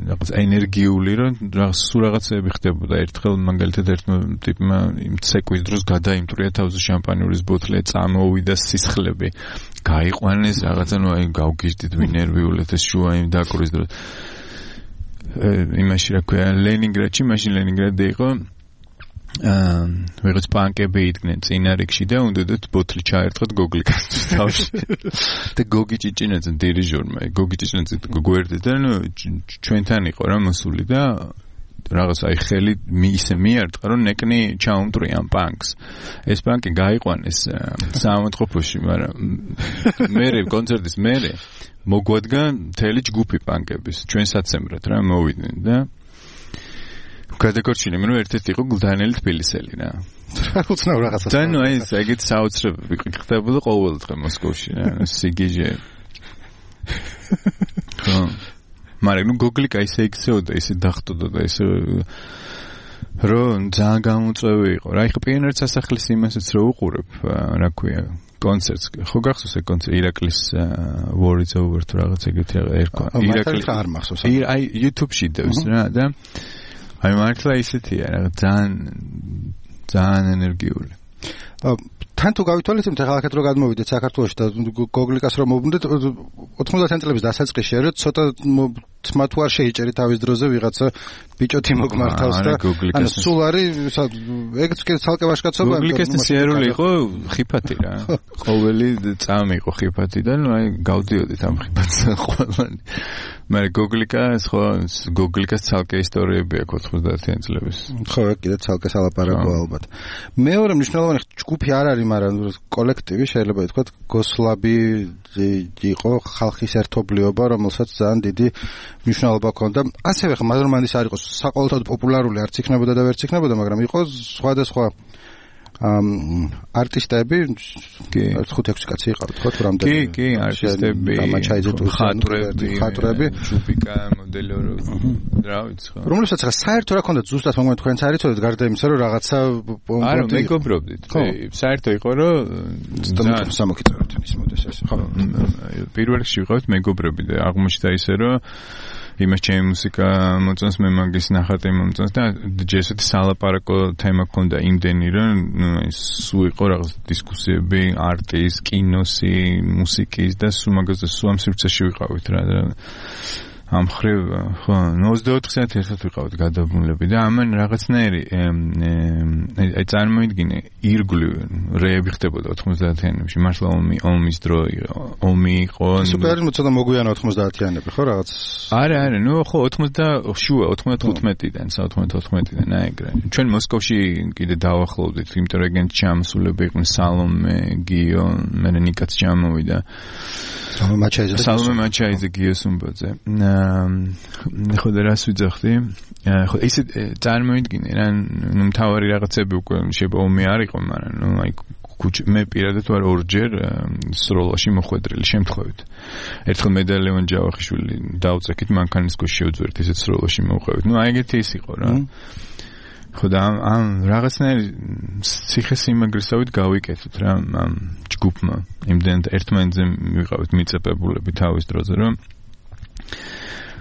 რაღაც ენერგიული, რომ რაღაც სულ რაღაცები ხდებოდა. ერთხელ მაგალითად ერთმა ტიპმა იმ ცეკვის დროს გადაიმტრია თავზე შამპანიურის ბოთლი, წამოვიდა სისხლები. გაიყვანეს რაღაცა, ნუ აი გავგიჟდით ვინერვიულად ეს შუა იმ დაკურის დროს. იმაში რა ქვია, ლენინგრადში, მაშინ ლენინგრადში იყო აა ვიღაც პანკები იდგნენ წინა რიგში და უნდათ ბოთლი ჩაერთხოთ გოგლიკას თავში. და გოგი ჭიჭინაძე დირიჟორმა, გოგი ჭიჭინაძე გვერდით და ნუ ჩვენთან იყო რა მოსული და რაღაც აი ხელი ისე მიარტყა რომ ნეკნი ჩაუმტრია ამ პანკს. ეს პანკი გაიყვანეს საავადმყოფოში, მაგრამ მერე კონცერტის მერე მოგვადგა მთელი ჯგუფი პანკების ჩვენ საცემბრად რა მოვიდნენ და გადაგორჩინე მე რომ ერთ-ერთი იყო გლდანელი თბილისელი რა. რა უცნაურ რაღაცას. და ნუ აი ეგეთ საოცრებები ხდებოდა ყოველდღე მოსკოვში რა, სიგიჟე. ხო. მაგრამ ნუ გოგლიკა ისე იქცეოდა, ისე დახტოდა და ისე რომ ძალიან გამოწვევი იყო. რა ეხა პიონერთა სასახლის იმასაც რო უყურებ, რა ქვია, კონცერტს. ხო გახსოვს ეგ კონცერტი ირაკლის War is Over თუ რაღაც ეგეთი ერქვა. ირაკლის არ მახსოვს. აი YouTube-ში დევს რა და აი მართლა ისეთია რა, ძალიან ძალიან ენერგიული. თან თუ გავითვალისწინებთ ახლა აქეთ რო გადმოვიდეთ საქართველოში და გოგლიკას რომ მოვუნდეთ ოთხმოცდაათი წლების დასაწყისში არის ცოტა თმა თუ არ შეიჭერი თავის დროზე ვიღაცა ბიჭოთი მოგმართავს და ანუ სულ არის ეგეც კიდე ცალკე ვაშკაცობა გოგლიკას სიარული იყო ხიფათი რა ყოველი წამი იყო ხიფათი და ნუ აი გავდიოდით ამ ხიფათს ყველანი მაგრამ გოგლიკას ხო გოგლიკას ცალკე ისტორიები აქვს ოთხმოცდაათი წლების ხო კიდე ცალკე სალაპარაკო ალბათ მეორე მნიშვნელოვანი ჯგუფი არ არის მაგრამ კოლექტივი შეიძლება ითქვათ გოსლაბი იყო ხალხის ერთობლიობა რომელსაც ძალიან დიდი მნიშვნელობა ჰქონდა ასევე ხა მადრომანდის არ იყო საყოველთაოდ პოპულარული არც იქნებოდა და ვერც იქნებოდა მაგრამ იყო სხვადასხვა არტისტები ხუთ ექვსი კაცი იყავით ხო თუ რამდენი? კი, კი, არტისტები, ხატრები, ხატრები, ჯუპიკა, მოდელორი, რა ვიცი ხო. რომელსაც ახლა საერთო რა ქონდათ ზუსტად მომენტ თქვენც არიცოდეთ გარდა იმისა რომ რაღაცა არა, მეგობრობდით. საერთო იყო რომ სამოქიწეროთ ის მოდეს ეს ხო. პირველ რიგში ვიყავით მეგობრები და აღმოჩნდა ისე რომ იმას ჩემი მუსიკა მოწონს მე მაგის ნახატი მომწონს და ჯესეთი სალაპარაკო თემა ქონდა იმდენი რომ სულ იყო რაღაც დისკუსიები არტის, კინოსი, მუსიკის და სულ მაგაზე სულ ამ სივრცეში ვიყავით რა და ამ ხრივ ხო ოცდაოთხ საათი ერთად ვიყავით გადაბმულები და ამან რაღაცნაირი აი წარმოიდგინე ირგვლივ რეები ხდებოდა ოთხმოცდაათიანებში მართლა ომი ომის დრო ომი იყო სუპერიზმი ცოტა მოგვიანა ოთხმოცდაათიანები ხო რაღაც არა არა ნუ ხო ოცდაოთხ შუა ოთხმოცდათხუთმეტიდან ოცდაოთხმეტიდან აი ეგრე ჩვენ მოსკოვში კიდე დავახლოვდით იმიტომ რომ ეგენ ჩამსულები იყვნენ სალომე გიო მე ნიკაც ჩამოვიდა სალომე მაჩაიძე სალომე მაჩაიძე გიო სუმბაძე ხო და რას ვიძახდი? ხო ისე წარმოიდგინე რა ნუ მთავარი რაღაცები უკვე შეიძლება ომი არ იყო, მაგრამ ნუ აი მე პირადად ვარ ორჯერ სროლაში მოხვედრილი შემთხვევით. ერთხელ მე და ლევან ჯავახიშვილი დავწექით მანქანის გუშინ შევძვერთ ისეთ სროლაში მოვყვებით. ნუ აი ეგეთი ის იყო რა. ხო და ამ რაღაცნაირი ციხესიმაგრესავით გავიკეთეთ რა ამ ჯგუფმა. იმდენად ერთმანეთზე ვიყავით მიწებებულები თავის დროზე რომ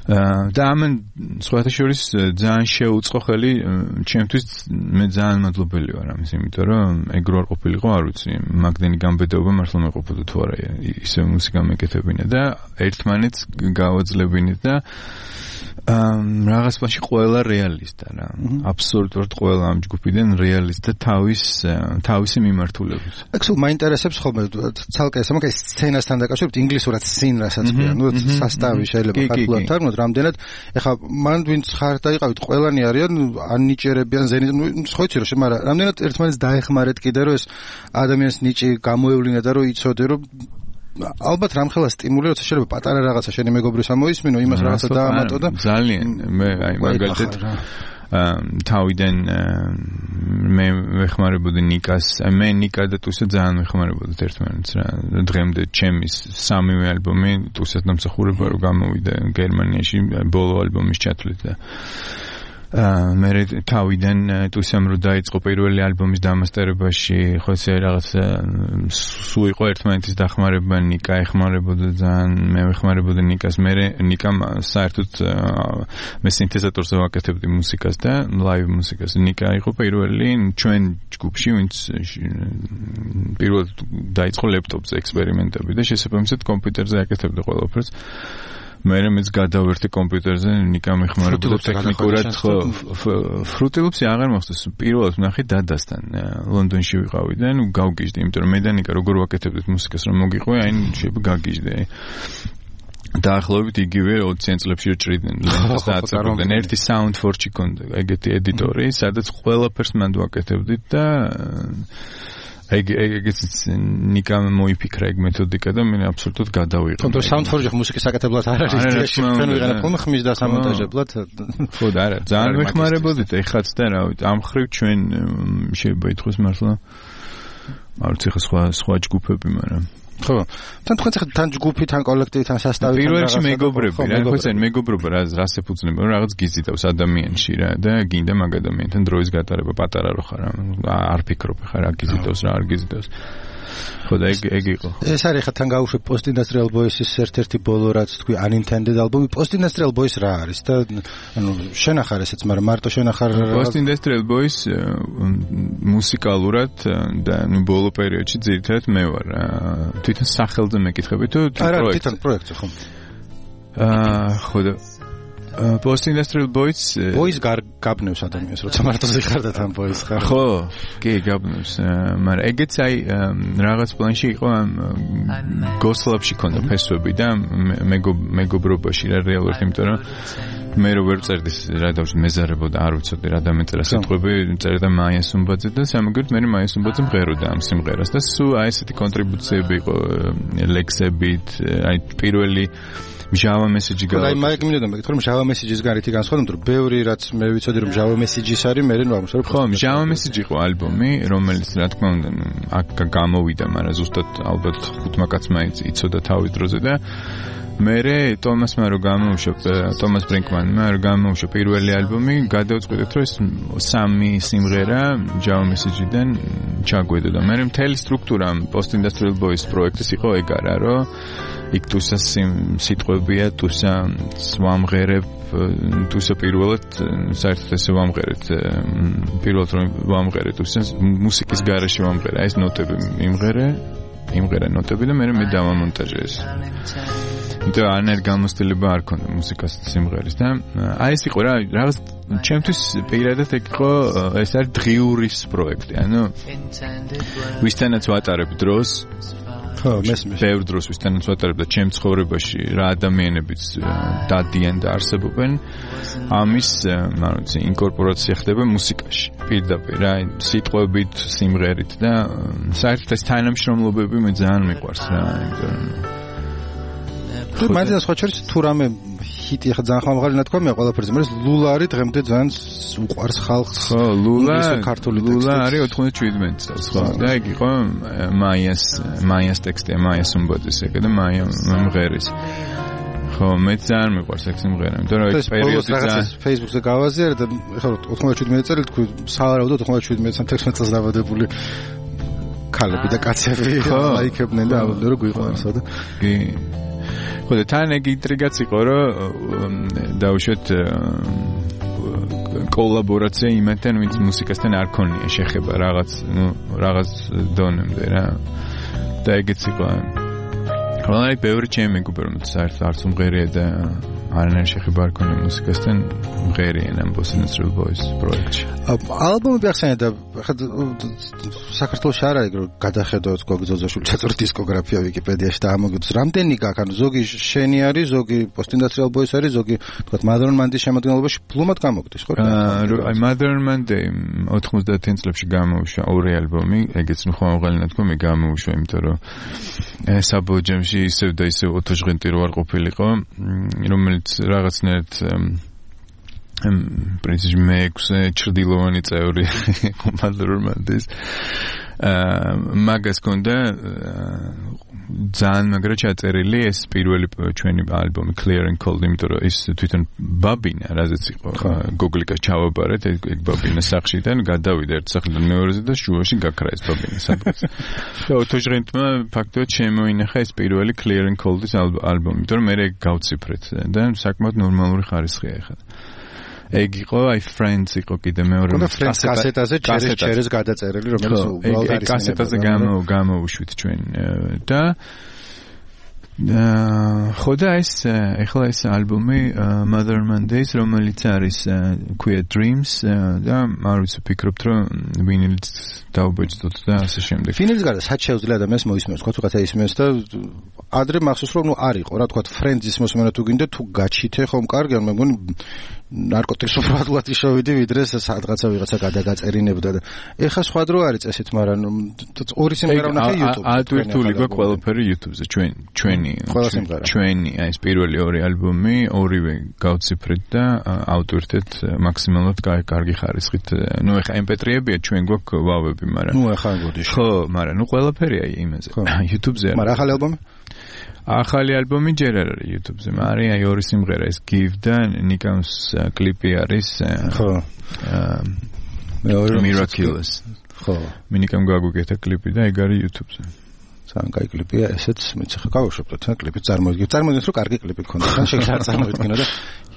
და ამან სხვათა შორის ძალიან შეუწყო ხელი ჩემთვის მე ძალიან მადლობელი ვარ ამის იმიტომ რომ ეგ რო არ ყოფილიყო არ ვიცი მაგდენი გამბედაობა მართლა მეყოფოდა თუ არა ისე მუსიკა მეკეთებინა და ერთმანეთს გავაძლებინეთ და რაღაც პაში ყველა რეალისტა რა აბსოლუტურად ყველა ამ ჯგუფიდან რეალისტა თავის თავისი მიმართულებით ეგ სულ მაინტერესებს ხოლმე ცალკე ეს მაგას სცენასთან დაკავშირებით ინგლისურად სინ რასაც ქვია ნუ სასტავი შეიძლება ქართულად თარგმნოთ რამდენად ეხლა მან ვინც ხარ დაიყავით ყველანი არიან ან ნიჭერებიან ზენი ნუ ხო იცი რომ მაგრამ რამდენად ერთმანეთს დაეხმარეთ კიდე რომ ეს ადამიანის ნიჭი გამოევლინა და რომ იცოდე რომ ალბათ რამხელა სტიმული როცა შეიძლება პატარა რაღაცა შენი მეგობრის ამოისმინო იმას რაღაცა დაამატო და ძალიან მე აი მაგალითად თავიდან მე ვეხმარებოდი ნიკას მე ნიკა და თუსე ძალიან ვეხმარებოდით ერთმანეთს რა დღემდე ჩემი სამივე ალბომი თუსე დამსახურება რომ გამოვიდა გერმანიაში ბოლო ალბომის ჩათვლით და მე თავიდან თუსემ რო დაიწყო პირველი ალბომის დამასტერებაში ხო ესე რაღაც სულ იყო ერთმანეთის დახმარება ნიკა ეხმარებოდა ძალიან მე ვეხმარებოდი ნიკას მე ნიკამ საერთოდ მე სინთეზატორზე ვაკეთებდი მუსიკას და ლაივ მუსიკას ნიკა იყო პირველი ჩვენ ჯგუფში ვინც პირველად დაიწყო ლეპტოპზე ექსპერიმენტები და შესაბამისად კომპიუტერზე აკეთებდა ყველაფერს მე მეც გადავერთე კომპიუტერზე ნიკამ ეხმარებოდა ტექნიკურად ხო ფრუტილუპსი აღარ მოხდეს პირველად ვნახე დადასთან ლონდონში ვიყავი და ნუ გავგიჟდი იმიტომ რომ მე და ნიკა როგორ ვაკეთებდით მუსიკას რომ მოგიყვე აი შეიძლება გაგიჟდე დაახლოებით იგივე ოციან წლებში ჭრიდნენ ლენტას დააწებდნენ ერთი Soundforge-ი კონდა ეგეთი ედიტორი სადაც ყველაფერს მანდ ვაკეთებდით და ეგ ეგეც ნიკამ მოიფიქრა ეგ მეთოდიკა და მე აბსოლუტურად გადავიღე. თუმცა Soundforge მუსიკის საკეთებლად არ არის ეს ჩვენ ვიღანა ხოლმე ხმის და სამონტაჟებლად. ხო და არა, ძალიან ვეხმარებოდით ეხაც და რა ვიცი, ამ ხრივ ჩვენ შეიძლება ითქვას მართლა არ ვიცი ხა სხვა სხვა ჯგუფები, მაგრამ ხო. თან თქვენ ხა თან ჯგუფი, თან კოლექტივი, თან სასტავი, თან პირველში მეგობრები, რა ხო ეს მეგობრობა რა რას ეფუძნება, რაღაც გიზიდავს ადამიანში რა და გინდა მაგ ადამიანთან დროის გატარება პატარა რო ხარ, არ ფიქრობ ხა რა გიზიდავს, რა არ გიზიდავს. ხო და ეგ ეგ იყო. ეს არის ხა თან გაუშვი Post Industrial Boys-ის ერთ-ერთი ბოლო რაც თქვი Unintended ალბომი. Post Industrial Boys რა არის და ანუ შენახარ ესეც, მაგრამ მარტო შენახარ Post Industrial Boys მუსიკალურად და ნუ ბოლო პერიოდში ძირითადად მე ვარ თვითონ სახელზე მეკითხები თუ პროექტი. არა, თვითონ პროექტი ხო. აა ხო და Post Industrial Boys Boys გაბნევს ადამიანს როცა მარტოზე ხარ და თან Boys ხარ ხო კი გაბნევს მაგრამ ეგეც აი რაღაც პლანში იყო ამ გოსლაბში ქონდა ფესვები და მეგობრობაში რა რეალურად იმიტომ რომ მე რო ვერ წერდი რა დავშ მეზარებოდა არ ვიცოდი რა დამეწერა სიტყვები წერდა მაია სუმბაძე და სამაგერთ მე მაია სუმბაძე მღეროდა ამ სიმღერას და სულ აი ესეთი კონტრიბუციები იყო ლექსებით აი პირველი Java message გა. აი მაიკ მინდოდა მეკითხე რომ Java message-ის გარეთ განსხვავდება რომ ბევრი რაც მე ვიცოდი რომ Java message-ის არის მე რა ვამუშავებ. ხო, Java message იყო ალბომი, რომელიც რა თქმა უნდა აქ გამოვიდა, მაგრამ ზუსტად ალბათ ხუთმა კაცმა იცოდა თავის დროზე და მერე ტომასმა რო გამოუშვა, ტომას ბრინკმანმა რო გამოუშვა პირველი ალბომი, გადავწყვიტეთ რომ ეს სამი სიმღერა Java message-დან ჩაგვედა და მერე მთელი სტრუქტურა Post Industrial Boys პროექტის იყო ეგარა, რომ იქ თუცა სიტყვებია, თუცა ვამღერებ, თუცა პირველად საერთოდ ესე ვამღერეთ, პირველად რომ ვამღერეთ, თუცა მუსიკის გარეშე ვამღერე, ეს ნოტები იმღერე, იმღერე ნოტები და მე მე დავამონტაჟე ეს. და ანერ გამოსტილება არ ქონდა მუსიკას სიმღერის და აი ეს იყო რა რაღაც ჩემთვის პირადად ეგ იყო ეს არის დღიურის პროექტი, ანუ ვისთანაც ვატარებ დროს ხო, მესმის. ბევრ დროს ვისთანაც ვატარებ და ჩემ ცხოვრებაში რა ადამიანებიც დადიან და არსებობენ, ამის მაროცი ინკორპორაცია ხდება მუსიკაში. პირდაპირ რა, სიტყვებით, სიმღერით და საერთოდ ეს თანამშრომლობები მე ძალიან მიყვარს რა, იმიტომ რომ მაგას სხვა შორის თუ რამე ჰიტი ხა ძალიან ხმამაღალი ნათქვამია ყველაფერზე, მაგრამ ლულა არის დღემდე ძალიან უყვარს ხალხს. ხო, ლულა ქართული ლულა არის ოთხმოცდაშვიდმეტ წელს, ხო. და ეგ იყო მაიას მაიას ტექსტია, მაიას უმბოძის ეგ და მაია მღერის. ხო, მე ძალიან მიყვარს ეგ სიმღერა, იმიტომ რომ ეს პერიოდი ძალიან Facebook-ზე გავაზიარე და ეხლა ოთხმოცდაშვიდმეტ წელი თქვი სავარაუდოდ ოთხმოცდაშვიდმეტ თექვსმეტ წელს დაბადებული ქალები და კაცები ლაიქებდნენ და ამბობდნენ რომ გვიყვარსო და კი ხო და თან ეგ ინტრიგაც იყო რომ დაუშვათ კოლაბორაცია იმათთან ვინც მუსიკასთან არ ქონია შეხება რაღაც ნუ რაღაც დონემდე რა და ეგეც იყო ხო აი ბევრი ჩემი მეგობარი რომ საერთოდ არც უმღერია და არანაირი შეხება არ ქონია მუსიკასთან მღერიან ამ Post Industrial Boys პროექტში ალბომი ახსენე და ხა საქართველოს არ არის რომ გადახედოთ გოგზოზაშვილის ჩაწორი დისკოგრაფია ვიკიპედიაში და ამოგიძს რამდენი გაქვს ანუ ზოგი შენი არის ზოგი Post Industrial Boys არის ზოგი თქვა Modern Monday შემოადგენლობაში ფლუმად გამოგდის ხო აი Modern Monday ოთხმოცდაათიან წლებში გამოუშვა ორი ალბომი ეგეც ხმამაღალი ნათქვამი გამოუშვა იმიტომ რომ საბოჯემში ისევ და ისევ ოთოჟღენტი რო არ ყოფილიყო რომელიც რაღაცნაირად პრინციპში მეექვსე ჩრდილოვანი წევრი Modern Mondays მაგას კონდა ძალიან მაგრა ჩაწერილი ეს პირველი ჩვენი ალბომი Clear and Cold იმიტომ რომ ის თვითონ ბაბინა რაზეც იყო გოგლიკას ჩავაბარეთ ეგ ბაბინა სახშიდან გადავიდა ერთ სახლიდან მეორეზე და შუაში გაქრა ეს ბაბინა სადღაც და ოთოჟღენტმა ფაქტობრივად შემოინახა ეს პირველი Clear and Cold-ის ალბომი იმიტომ რომ მე ეგ გავციფრეთ და საკმაოდ ნორმალური ხარისხია ეხლა ეგ იყო აი Friends იყო კიდე მეორე კასეტაზე ჩერეს ჩერეს გადაწერილი რომელიც უბრალოდ არის კასეტაზე გამო გამოვუშვით ჩვენ და ხო და ეს ეხლა ეს ალბომი Mother Mondays რომელიც არის Queer Dreams და არ ვიცი ვფიქრობთ რომ ვინილიც დაუბეჭდოთ და ასე შემდეგ ვინილის გარდა სად შეუძლია ადამიანს მოისმენოს თქვა თუ ისმენს და ადრე მახსოვს რომ ნუ არ იყო რა თქვა Friends-ის მოსმენა თუ გინდა თუ გაჩითე ხომ კარგი მე მგონი ნარკოტიკს უბრალოდ შევიდი ვიდრე სადღაცა ვიღაცა გადაგაწერინებდა და ეხა სხვა დრო არის წესით მაგრამ ორი სიმღერა ვნახე YouTube-ზე ადვირთული გვაქვს ყველაფერი YouTube-ზე ჩვენ ჩვენი ჩვენი აი ეს პირველი ორი ალბომი ორივე გავციფრეთ და ავტვირთეთ მაქსიმალურად კარგი ხარისხით ნუ ეხა em pe tri-ებია ჩვენ გვაქვს ვავები მაგრამ ნუ ეხა გოდიშ ხო მაგრამ ნუ ყველაფერია იმაზე YouTube-ზე მაგრამ ახალი ალბომი ახალი ალბომი ჯერ არ არის YouTube-ზე, მაგრამ აი ორი სიმღერა ეს Give და Nikams კლიპი არის. ხო. მეორე Miraculous. ხო. Nikam გაგვიკეთა კლიპი და ეგ არის YouTube-ზე. ძალიან კაი კლიპია, ესეც მეც ხა გავუშვებთ თან კლიპი წარმოვიდგინოთ. წარმოვიდგინოთ რომ კარგი კლიპი გქონდა. თან შეიძლება წარმოვიდგინოთ და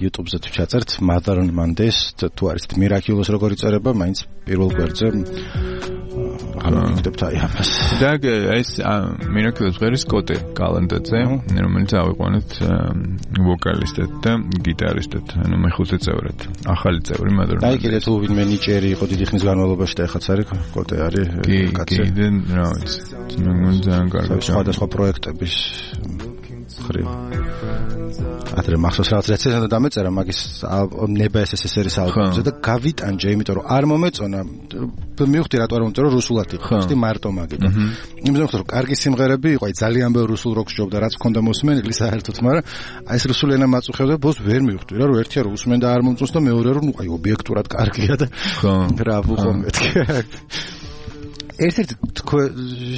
YouTube-ზე თუ ჩაწერთ Mother Mondays თუ არის Miraculous როგორი წერება, მაინც პირველ გვერდზე ამიტომ აი ამას. და ეს Miraculous ღერის კოტე კალენდარზე, რომელიც ავიყვანეთ ვოკალისტად და გიტარისტად, ანუ მეხუთე წევრად. ახალი წევრი Mother Mondays. აი კიდე თუ ვინმე ნიჭერი იყო დიდი ხნის განმავლობაში და ეხაც არის კოტე არის კაცი. კი, რა ვიცი. მე მგონი ძალიან კარგი სხვადასხვა პროექტების ხრი. ადრე მახსოვს რაღაც რეცენზია დამეწერა მაგის ნება ეს ეს ერის ალბომზე და გავიტანჯე, იმიტომ რომ არ მომეწონა. მივხვდი რატო არ მომეწონა, რუსულად იყო. ხსნი მარტო მაგიტო. იმის რომ კარგი სიმღერები იყო, აი ძალიან ბევრი რუსულ როკს ჯობდა, რაც მქონდა მოსმენილი საერთოდ, მაგრამ აი ეს რუსული ენა მაწუხებდა, ბოს ვერ მივხვდი რა, რომ ერთია რომ უსმენდა არ მომწონს და მეორე რომ აი ობიექტურად კარგია და რა ვუყო მეთქი. ერთ-ერთი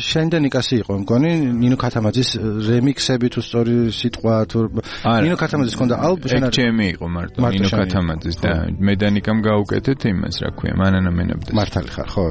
შენდენი კასი იყო მგონი ნინო ქათამაძის რემიქსები თუ სწორი სიტყვა თუ ნინო ქათამაძის ქონდა ალბომი ჩემი იყო მარტო ნინო ქათამაძის და მე დანიკამ გავუკეთეთ იმას რა ქვია მანანა მენაბდეს მართალი ხარ ხო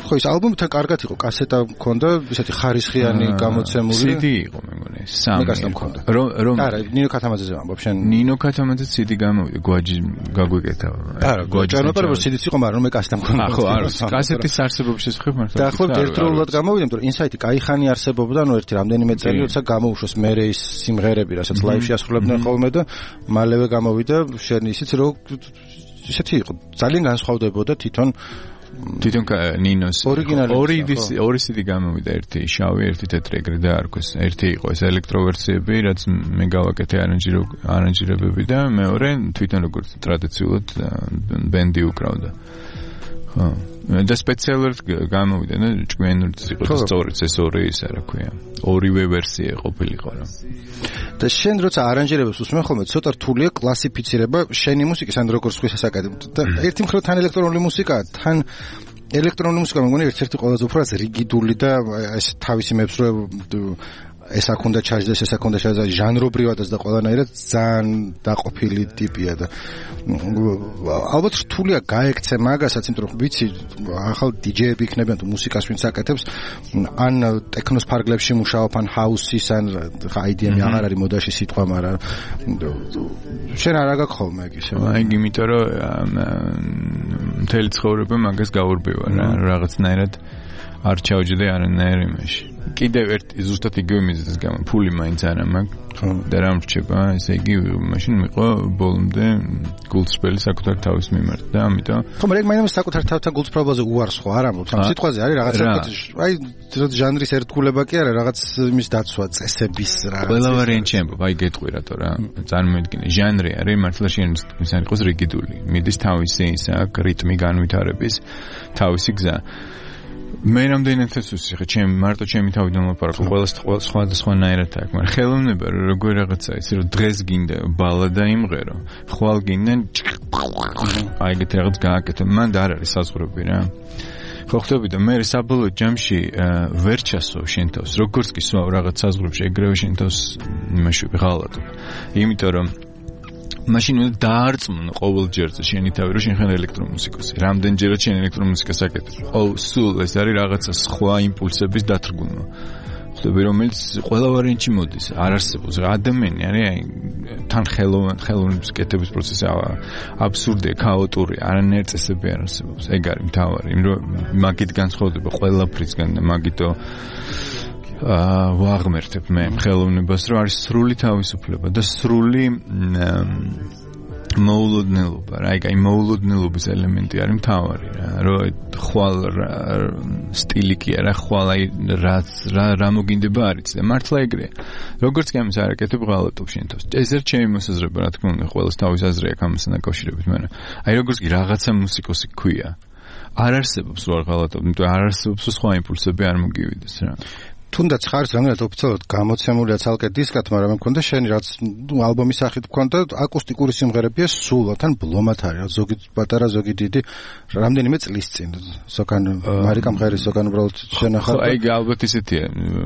ხო ის ალბომი თან კარგად იყო კასეტა მქონდა ისეთი ხარისხიანი გამოცემული სი დი იყო მე მგონი სამი მქონდა რომ რომ არა ნინო ქათამაძეზე ვამბობ შენ ნინო ქათამაძის სი დი გამოვიდა გვაჯი გაგვიკეთა არა გვაჯი არა სი დიც იყო მაგრამ მე კასეტა მქონდა ხო არა კასეტის არსებობის შესახებ მართლა და ხო ერთდროულად გამოვიდა იმიტომ რომ ინსაიტი კაიხანი არსებობდა ნუ ერთი რამდენიმე წელი როცა გამოუშვეს მე ის სიმღერები რასაც ლაივში ასრულებდნენ ხოლმე და მალევე გამოვიდა შენ ისიც რომ ისეთი იყო ძალიან განსხვავდებოდა თვითონ თვითონ ნინოს ორიგინალი ორი ორი სი დი გამოვიდა ერთი შავი ერთი თეთრი ეგრე დაარქვეს ერთი იყო ეს ელექტროვერსიები რაც მე გავაკეთე არანჟირო არანჟირებები და მეორე თვითონ როგორც ტრადიციულად ბენდი უკრავდა ხო და სპეციალურად გამოვიდა და ჭკვიანურიც იყო და სწორიც ეს ორი ისა რა ქვია ორივე ვერსია ყოფილიყო რა და შენ როცა არანჟირებს უსმენ ხოლმე ცოტა რთულია კლასიფიცირება შენი მუსიკის ან როგორც ხვის ასაკადემ და ერთი მხრივ თან ელექტრონული მუსიკა თან ელექტრონული მუსიკა მეგონი ერთ-ერთი ყველაზე უფრო რიგიდული და ეს თავისი მეფსრუე ეს აქონდა ჩაჟდეს ეს აქონდა ჩაჟდეს ჟანრობრივადაც და ყველანაირად ძალიან დაყოფილი ტიპია და ალბათ რთულია გაექცე მაგასაც იმიტომ რომ ვიცი ახალ დიჯეები იქნებიან თუ მუსიკას ვინც აკეთებს ან ტექნოს ფარგლებში მუშაობ ან ჰაუსის ან აი დი ემი აღარ არის მოდაში სიტყვა მაგრამ შენ არ აგაქვს ხოლმე ეგ ისე აი იმიტომ რომ მთელი ცხოვრება მაგას გაურბევა რა რაღაცნაირად არ ჩავჯდე არანაირ იმაში კიდევ ერთ ზუსტად იგივე მიზეზის გამო ფული მაინც არა მაქვს და რა მრჩება ესე იგი მაშინ მიყო ბოლომდე გულწრფელი საკუთარ თავის მიმართ და ამიტომ ხო მაგრამ მაინც საკუთარ თავთან გულწრფელობაზე უარს ხო არ ამბობ ამ სიტყვაზე არის რაღაც აი ჟანრის ერთგულება კი არა რაღაც იმის დაცვა წესების რაღაც ყველა ვარიანტი ამბობ აი გეტყვი რატო რა წარმოიდგინე ჟანრი არის მართლა შენ ისე იყოს რიგიდული მიდის თავისი ისა რიტმი განვითარების თავისი გზა მე რამდენად ეს ხე ჩემ მარტო ჩემი თავიდან მოპარაკო ყველა სხვა სხვანაირად აქვს მაგრამ ხელოვნება როგორ რაღაცა ისე რომ დღეს გინდა ბალადა იმღერო ხვალ გინდა აი ეგეთ რაღაც გააკეთო მან და არ არის საზღვრები რა ხო ხვდები და მე საბოლოო ჯამში ვერ ჩასო შენ თავს როგორც კი სვავ რაღაც საზღვრებში ეგრევე შენ თავს იმაში ვიღალატო იმიტომ რომ მაშინ უნდა დაარწმუნო ყოველ ჯერზე შენი თავი რომ შენ ხარ ელექტრომუსიკოსი. რამდენჯერაც შენ ელექტრომუსიკას აკეთებ. ყოველ სულ ეს არის რაღაცა სხვა იმპულსების დათრგუნვა. ხვდები რომელიც ყველა ვარიანტში მოდის. არ არსებობს რა ადამიანი არის აი თან ხელოვან ხელოვნების კეთების პროცესი აბსურდია, ქაოტურია, არანაირი წესები არ არსებობს. ეგ არის მთავარი. რომ მაგით განსხვავდება ყველაფრისგან და მაგითო აა ვაღმერთებ მე ხელოვნებას რომ არის სრული თავისუფლება და სრული მოულოდნელობა რა აი მოულოდნელობის ელემენტი არის მთავარი რა რომ ხვალ სტილი კი არა ხვალ აი რა რა მოგინდება არის და მართლა ეგრეა როგორც კი ამის არაკეთებ ღალატობ შენ თავს ეს ერთ ჩემი მოსაზრება რა თქმა უნდა ყველას თავის აზრი აქვს ამასთან დაკავშირებით მაგრამ აი როგორც კი რაღაცა მუსიკოსი ქვია არ არსებობს რა ღალატობ იმიტომ არ არსებობს სხვა იმპულსები არ მოგივიდეს რა თუნდაც ხარს რამდენად ოფიციალურად გამოცემულია ცალკე დისკად, მაგრამ მქონდა შენი რაც ალბომის სახით მქონდა აკუსტიკური სიმღერებია სულ, თან ბლომად არის, ზოგი პატარა, ზოგი დიდი, რამდენიმე წლის წინ. ზოგან მარიკამ ღერის ზოგან უბრალოდ შენახა. აი ალბათ ისეთია,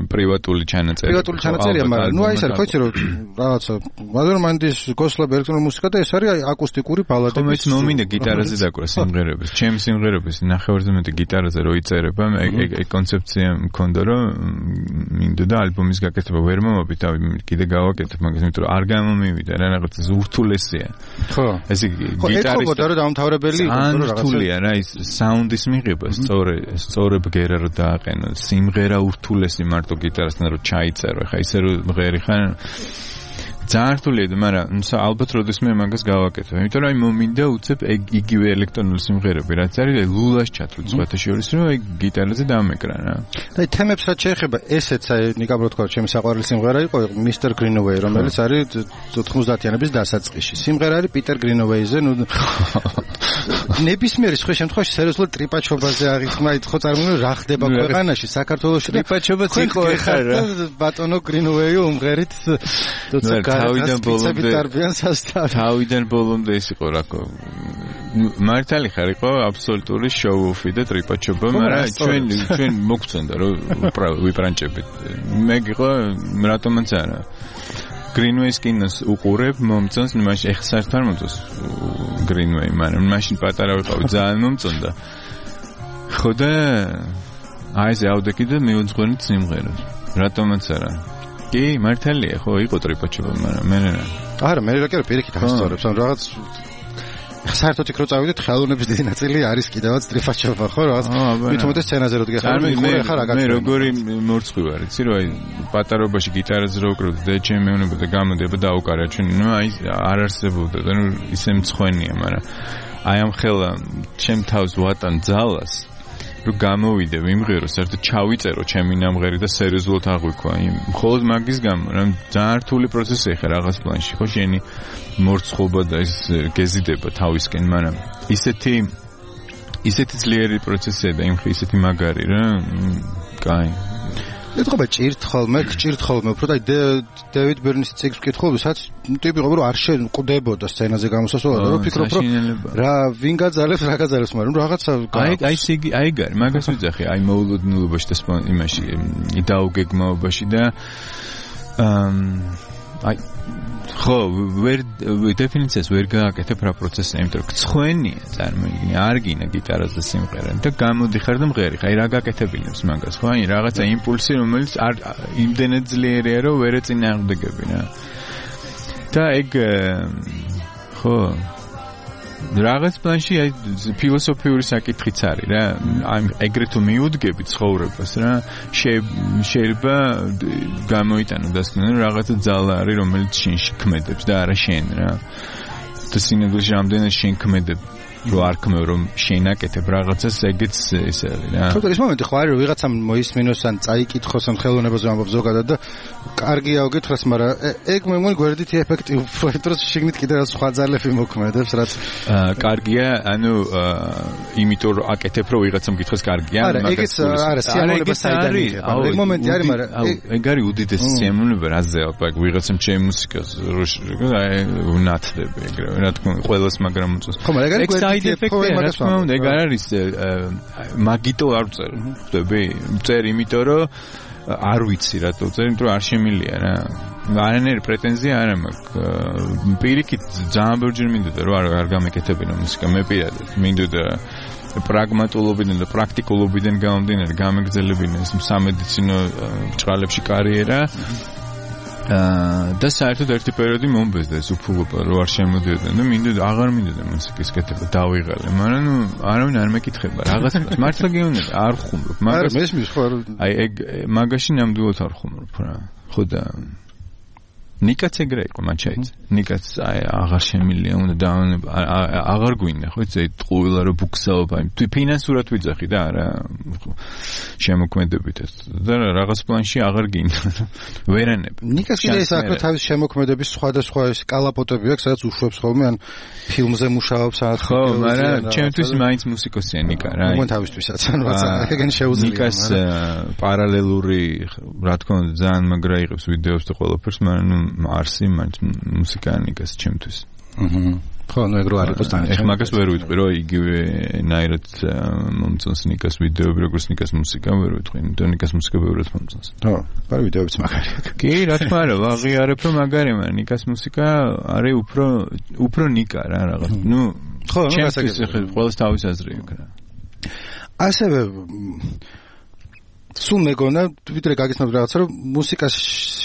პრივატული ჩანაწერი. პრივატული ჩანაწერია, მაგრამ ნუ აი ეს არის, ხო იცი რომ რაღაცა მადორმანდის გოსლებ ელექტრონული მუსიკა და ეს არის აკუსტიკური ბალადები. ხო მეც მომინდა გიტარაზე დაკვრა სიმღერების. ჩემი სიმღერების ნახევარზე მეტი გიტარაზე რო იწერება, ეგ ეგ კონცეფცია მქონდა რომ მინდა და ალბომის გაკეთება ვერ მომობით, თავი კიდე გავაკეთებ მაგას, იმიტომ რომ არ გამომივიდა რა რაღაც ურთულესია. ხო. ეს გიტარის ხო, და დამთავრებელი იყო რა რაღაცა. რთულია რა ის საუნდის მიღება, სწორე სწორე ბგერა რო დააყენო, სიმღერა ურთულესი მარტო გიტარასთან რო ჩაიწერო, ხა ისე რომ მღერი ხარ ძალიან რთულია, მაგრამ ალბათ როდესმე მაგას გავაკეთებ. იმიტომ რომ აი მომინდა უცებ იგივე ელექტრონული სიმღერები, რაც არის ლულას ჩათვლით სხვათა შორის, რომ აი გიტარაზე დამეკრანა. და აი თემებს რაც შეეხება, ესეც აი ნიკაბრო თქვა, ჩემი საყვარელი სიმღერა იყო Mister Greenaway, რომელიც არის ოთხმოცდაათიანების დასაწყისში. სიმღერა არის Peter Greenaway-ზე, ნუ ნებისმიერი სხვა შემთხვევაში სერიოზულად ტრიპაჩობაზე აღიქმნა, ხო წარმოიდგინე რა ხდება ქვეყანაში, საქართველოში ტრიპაჩობაც იყო ეხლა რა. ბატონო Greenaway უმღერით თავიდან ბოლომდე თავიდან ბოლომდე ის იყო რაკო მართალი ხარ იყო აბსოლუტური შოუ-ოფი და ტრიპაჩობა, მაგრამ ჩვენ ჩვენ მოგწონდა რომ ვიპრანჭებით. მე გიყო რატომაც არა. Greenway-ის კინოს უყურებ, მომწონს, მაშინ ეხლა საერთოდ არ მომწონს Greenway, მაგრამ მაშინ პატარა ვიყავი, ძალიან მომწონდა. ხო და აი ეს ავდექი და მიუძღვენით სიმღერა. რატომაც არა. კი, მართალია, ხო, იყო ტრიპაჩობა, მაგრამ მე რა. არა, მე რა კი პირიქით ასწორებს, ან რაღაც საერთოდ იქ რო წავიდეთ, ხელოვნების დიდი ნაწილი არის კიდევაც ტრიფაჩობა, ხო, რაღაც მით უმეტეს სცენაზე რო დგეხარ, მე ხარ რა გაკეთე. მე როგორი მორცხვი ვარ, იცი რომ აი პატარობაში გიტარაზე რო ვკრავდი და ჩემი მეუბნება და გამოდიება და აუკარა ჩვენ, ნუ აი არ არსებობდა და ნუ ისე მცხვენია, მაგრამ აი ამ ხელა ჩემ თავს ვატან ძალას რომ გამოვიდე ვიმღერო, საერთოდ ჩავიწერო ჩემი ნამღერი და სერიოზულად აღვიქვა. მხოლოდ მაგის გამო, რომ ძალიან რთული პროცესი ხარ რაღაც პლანში, ხო, შენი მორცხობა და ის გეზიდება თავისკენ, მაგრამ ისეთი ისეთი ძლიერი პროცესია და იმ ისეთი მაგარი რა, კაი. ეთქობა ჭირთ ხოლმე, ჭირთ ხოლმე, უფრო და დევიდ ბერნის ციკლს ვკითხულობ, სადაც ტიპი ყობა რომ არ შეკვდებოდა სცენაზე გამოსასვლელად, რომ ფიქრობ რომ რა ვინ გაძალებს, რა გაძალებს, მაგრამ რაღაცა აი აი სიგი აი გარ, მაგას ვიძახი, აი მოულოდნელობაში და იმაში დაუგეგმაობაში და აი ხო, ვერ დეფინიციას ვერ გააკეთებ რა პროცესია, იმიტომ რომ ცხენია, წარმოიდგინე, არ გინა გიტარაზე სიმღერა და გამოდიხარ და მღერი, ხაი რა გაკეთებინებს მაგას, ხო? აი რაღაცა იმპულსი, რომელიც არ იმდენად ძლიერია, რომ ვერ ეწინააღმდეგები რა. და ეგ ხო რაღაც პლანში აი ფილოსოფიური საკითხიც არის რა. აი ეგრეთ თუ მიუდგები ცხოვრებას რა, შეიძლება გამოიტანო დასკვნელი რაღაცა ძალა არის, რომელიც შენში ქმედებს და არა შენ რა. და სინამდვილეში რამდენად შენ ქმედებ, რომ არ ქმევ, რომ შენ აკეთებ რაღაცას, ეგეც ეს არის რა. თუმცა ის მომენტი ხო არის, რომ ვიღაცამ მოისმინოს ან წაიკითხოს ან ხელოვნებაზე ამბობს ზოგადად და კარგია უკითხოს, მაგრამ ეგ მე მგონი გვერდით ეფექტი უფრო დროს შეგნით კიდე რა სხვა ძალები მოქმედებს, რაც კარგია, ანუ იმიტომ რომ აკეთებ, რომ ვიღაცამ გითხოს კარგია, მაგრამ ეგეც არა, სიამოვნება საიდან იქნება. ეგ მომენტი არის, მაგრამ ეგ არის უდიდესი სიამოვნება, რაზე ალბათ ვიღაცამ ჩემ მუსიკას აი უნათლები ეგრევე, რა თქმა უნდა, ყველას მაგრამ მოწონს. ხო, მაგრამ ეგ საიდ ეფექტია, რა თქმა უნდა, ეგ არ არის მაგიტო არ წერ, ხვდები? წერ იმიტომ რომ არ ვიცი რატო წერ, იმიტომ რომ არ შემილია რა. არანაირი პრეტენზია არ მაქვს. პირიქით ძალიან ბევრჯერ მინდოდა რომ არ არ გამეკეთებინა მუსიკა, მე პირადად მინდოდა პრაგმატულობიდან და პრაქტიკულობიდან გამომდინარე გამეგრძელებინა ეს სამედიცინო ბრჭყალებში კარიერა. და საერთოდ ერთი პერიოდი მომბეზდა ეს უფულობა, რომ არ შემოდიოდა და მინდოდა აღარ მინდოდა მუსიკის კეთება, დავიღალე, მაგრამ ნუ არავინ არ მეკითხება რაღაც მართლა გეუბნები, არ ხუმრობ, მაგას მესმის ხო აი ეგ მაგაში ნამდვილად არ ხუმრობ რა. ხო და ნიკაც ეგრე იყო, მან ჩაიწერა. ნიკაც აი აღარ შემილია, უნდა დავანება, აღარ გვინდა, ხო, ეს ტყუილა რომ ბუქსაობა, თუ ფინანსურად ვიძახი და არა შემოქმედებით ეს. და რაღაც პლანში აღარ გინდა. ვერანებ. ნიკას კიდე ის აქვს თავის შემოქმედების სხვადასხვა ეს კალაპოტები აქვს, სადაც უშვებს ხოლმე ან ფილმზე მუშაობს ან ხო, მაგრამ ჩემთვის მაინც მუსიკოსია ნიკა რა. მოგონ თავისთვისაც, ანუ რაღაცა ეგენ შეუძლია. ნიკას პარალელური, რა თქმა უნდა, ძალიან მაგრა იღებს ვიდეოს და ყველაფერს, მაგრამ არსი მაინც მუსიკანიკას ჩემთვის. აჰა. ხო, ნუ ეგრო არ იყოს დანიშნული. ეხლა მაგას ვერ ვიტყვი, რომ იგივე ნაირად მომწონს ნიკას ვიდეოები, როგორც ნიკას მუსიკა, ვერ ვიტყვი. იმიტომ ნიკას მუსიკა ბევრად მომწონს. ხო, ბარ ვიდეოებიც მაგარია. კი, რა თქმა უნდა, ვაღიარებ რომ მაგარია, მაგრამ ნიკას მუსიკა არის უფრო უფრო ნიკა რა რაღაც. ნუ ხო, ჩემთვის ყველას თავის აზრი აქვს რა. ასევე სულ მეგონა ვიდრე გაგიცნობ რაღაცა რომ მუსიკას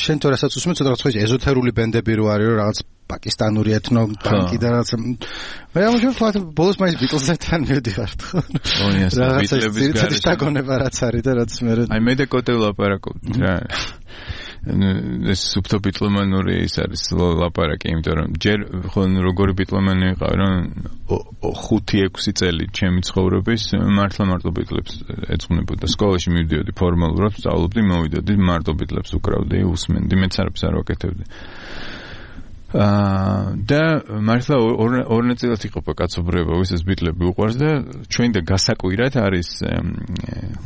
შენ თუ რასაც უსმენ ცოტა რაღაც ეზოთერული ბენდები რო არის რომ რაღაც პაკისტანური ეთნო პანკი და რაღაც მე ამჟამად ვთქვათ ბოლოს მაინც ბიტლზთან მივდივარ ხო ბიტლების გარეშე დაგონება რაც არის და რაც მე აი მე და კოტე ვლაპარაკობთ რა ეს სუფთო ბიტლომანური ის არის ლაპარაკი, იმიტომ რომ ჯერ ხო როგორი ბიტლომანი ვიყავ, რომ ხუთი ექვსი წელი ჩემი ცხოვრების მართლა მარტო ბიტლებს ეძღვნებოდა. სკოლაში მივდიოდი ფორმალურად, სწავლობდი, მოვიდოდი, მარტო ბიტლებს უკრავდი, უსმენდი, მეც არაფერს არ ვაკეთებდი. აა და მართლა ორ ნაწილად იყოფა კაცობრიობა, ვისაც ბიტლები უყვარს და ჩვენ და გასაკვირად არის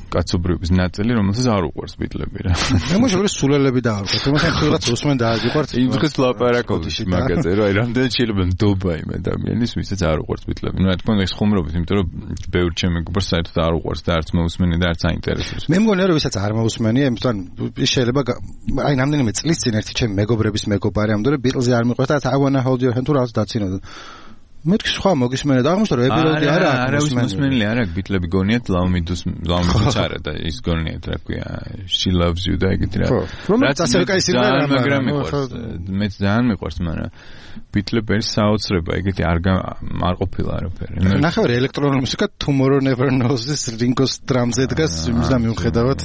კაცობრიობის ნაწილი, რომელსაც არ უყვარს ბიტლები რა. მე მოშორე სულელები დაარქვათ, თუმცა თქვენაც უსმენ დააგიყვართ. იმ დღეს ლაპარაკობთ მაგაზე, რა, რამდენად შეიძლება ნდობა იმ ადამიანის, ვისაც არ უყვარს ბიტლები. ნუ რა თქმა უნდა ეს ხუმრობით, იმიტომ რომ ბევრ ჩემ მეგობარს საერთოდ არ უყვარს და არც მოусმენი და არც აინტერესებს. მე მგონია რომ ვისაც არ მოусმენია, იმიტომ ის შეიძლება აი რამდენიმე წლის წინ ერთი ჩემი მეგობრების მეგობარი ამდენად ბიტლზე არ მიყვარს და I wanna hold your hand თუ რაღაც დაცინოდა. მეთქი სხვა მოგისმენდა და აღმოჩნდა რომ ეპილოგი არა აქვს. არა, მოსმენელი არ აქვს, ბიტლები გონიათ ლაუმიდუს, ლაუმიდუს არა და ის გონიათ, რა ქვია, she loves you და ეგეთი რა. რომელიც ასე კაი სიმღერაა, მაგრამ მიყვარს. მეც ძალიან მიყვარს, მაგრამ ბიტლები არის საოცრება, ეგეთი არ არ ყოფილა არაფერი. ნახევარი ელექტრონული მუსიკა Tomorrow Never Knows-ის Ringo Starr-ზე დგას, იმის და მიუხედავად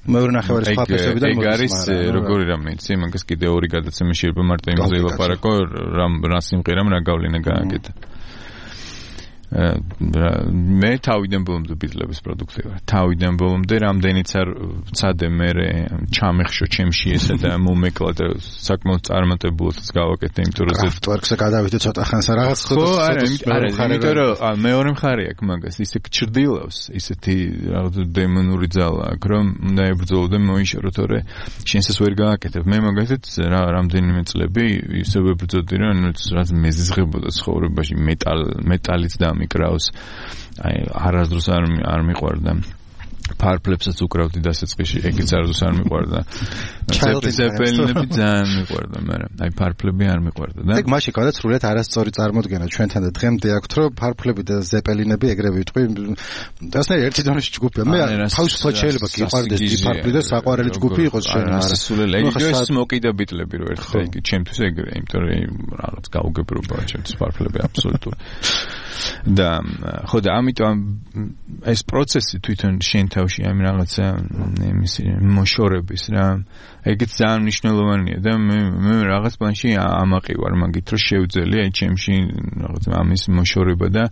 მეორე ნახევარი სხვა ფესებიდან მოდის. ეგ არის როგორი რამე, იცი, მაგას კიდე ორი გადაცემა შეიძლება მარტო იმაზე ვილაპარაკო, რა რა სიმღერამ რა გავლენა გააკეთა. მე თავიდან ბოლომდე ბიტლების პროდუქტი ვარ. თავიდან ბოლომდე რამდენიც არ ვცადე მე ჩამეხშო ჩემში ესა და მომეკლა და საკმაოდ წარმატებულადაც გავაკეთე, იმიტომ რომ Kraftwerk-ზე გადავიდე ცოტა ხანს რაღაც ხო არა, არა, იმიტომ რომ მეორე მხარე აქვს მაგას, ისე გჭრდილავს, ისეთი რაღაც დემონური ძალა აქვს, რომ უნდა ებრძოლო და მოიშორო, თორე შენსაც ვერ გააკეთებ. მე მაგათაც რა რამდენიმე წლები ისე ვებრძოდი, რომ რაც მეზიზღებოდა ცხოვრებაში მეტალ მეტალიც და მიკრავს. აი არასდროს არ არ მიყვარდა. ფარფლებსაც უკრავდი დასაწყისში, ეგეც არასდროს არ მიყვარდა. ზეპელინები ძალიან მიყვარდა, მაგრამ აი ფარფლები არ მიყვარდა და ეგ მაშინ გავდა სრულიად არასწორი წარმოდგენა ჩვენთან და დღემდე აქვს, რომ ფარფლები და ზეპელინები ეგრევე ვიტყვი. დასნე ერთი დონეში ჯგუფია. მე თავისუფლად შეიძლება გიყვარდეს დიფარფლი და საყვარელი ჯგუფი იყოს შენ, არა სულელი. ეს მოკიდა ბიტლები რო ერთხელ იგი ჩემთვის ეგრე, იმიტომ რომ რაღაც გაუგებრობაა ჩემთვის ფარფლები აბსოლუტურად. და ხო და ამიტომ ეს პროცესი თვითონ შენ თავში ამ რაღაცა იმისი მოშორების რა ეგეც ძალიან მნიშვნელოვანია და მე მე რაღაც პლანში ამაყივარ მაგით რომ შევძელი აი ჩემში რაღაც ამის მოშორება და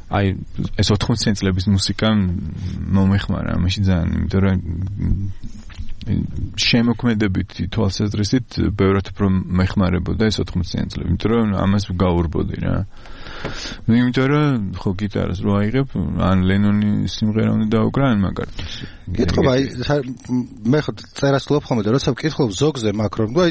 აი ეს ოთხმოციანი წლების მუსიკა მომეხმარა ამაში ძალიან, იმიტომ რომ შემოქმედებით თვალსაზრისით ბევრად უფრო მეხმარებოდა ეს ოთხმოციანი წლები, იმიტომ რომ ამას გავურბოდი რა. ну იმიტომ რომ ხო გიტარას რო აიღებ ან ლენონი სიმღერა უნდა დაუკრან მაგარად. კითხვა აი მე ხო წერას ვფლობ ხოლმე და როცა ვკითხულობ ზოგზე მაკრონ და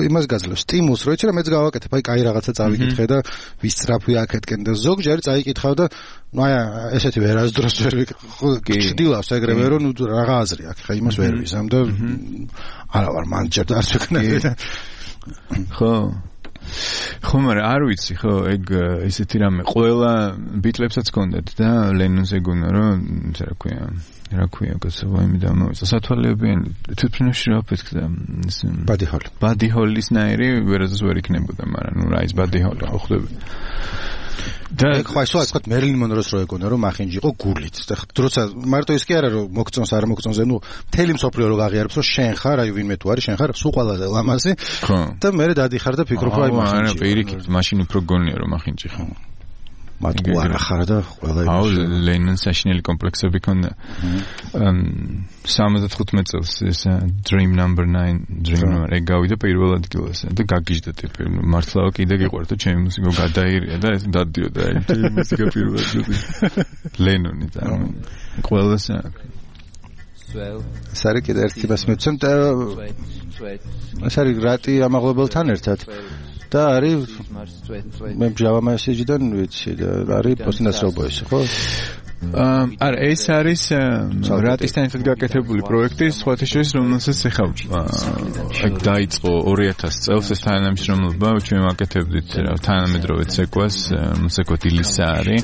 იმას გაძლევს სტიმულს რო იცი რა მეც გავაკეთებ აი კაი რაღაცა წავიკითხე და ვისწრაფვი აქეთკენ და ზოგჯერ წაიკითხავ და ну აი ესეთი ვერასდროს ვერ გჭდილავს ეგრევე რომ ნუ რაღა აზრი აქვს ხა იმას ვერ ვიზამ და არა ვარ მან ჯერ არ ვეკნები ხო ხო მაგრამ არ ვიცი ხო ეგ ისეთი რამე ყველა ბიტლებსაც ჰქონდათ და ლენონს ეგონა რომ რა ქვია რა ქვია გასავალი და მოიცა სათვალეებიანი თვითფრინავში რა ფეთქდა ეს ბადი ჰოლი ბადი ჰოლის ნაირი ვერასდროს ვერ იქნებოდა მაგრამ ნუ რა ის ბადი ჰოლი ხო ხდება და ხო ისო ასეთ მერლინ მონროს რო ეგონა რომ მახინჯი იყო გულით და როცა მარტო ის კი არა რომ მოგწონს არ მოგწონს ნუ მთელი მსოფლიო რო გაღიარებს რომ შენ ხარ აი ვინმე თუ არის შენ ხარ სულ ყველაზე ლამაზი და მე დადიხარ და ფიქრობ რომ აი მახინჯი არა პირიქით მაშინ უფრო გონია რომ მახინჯი ხო მათგუ არა ხარ და ყველა იმის. აუ ლენონს საშინელი კომპლექსები ქონდა. სამოცდახუთმეტ წელს ეს Dream Number nine Dream Number ეგ გავიდა პირველ ადგილას და გაგიჟდა ტიპი მართლა კიდე გიყვარდა ჩემი მუსიკა გადაირია და ეს დადიოდა აი ჩემი მუსიკა პირველ ადგილზე. ლენონი და ყველას სარი კიდე ერთი მას მეცემ და სარი რატი ამაღლებელთან ერთად და არის მე Java Message-დან ვიცი და არის პოსტინაცრობოისი ხო? არა ეს არის რატისთან ერთად გაკეთებული პროექტი სხვათა შორის რომელსაც ეხლა ეგ დაიწყო ორი ათასი წელს ეს თანამშრომლობა ჩვენ ვაკეთებდით თანამედროვე ცეკვას მუსიკოთ ილისა არის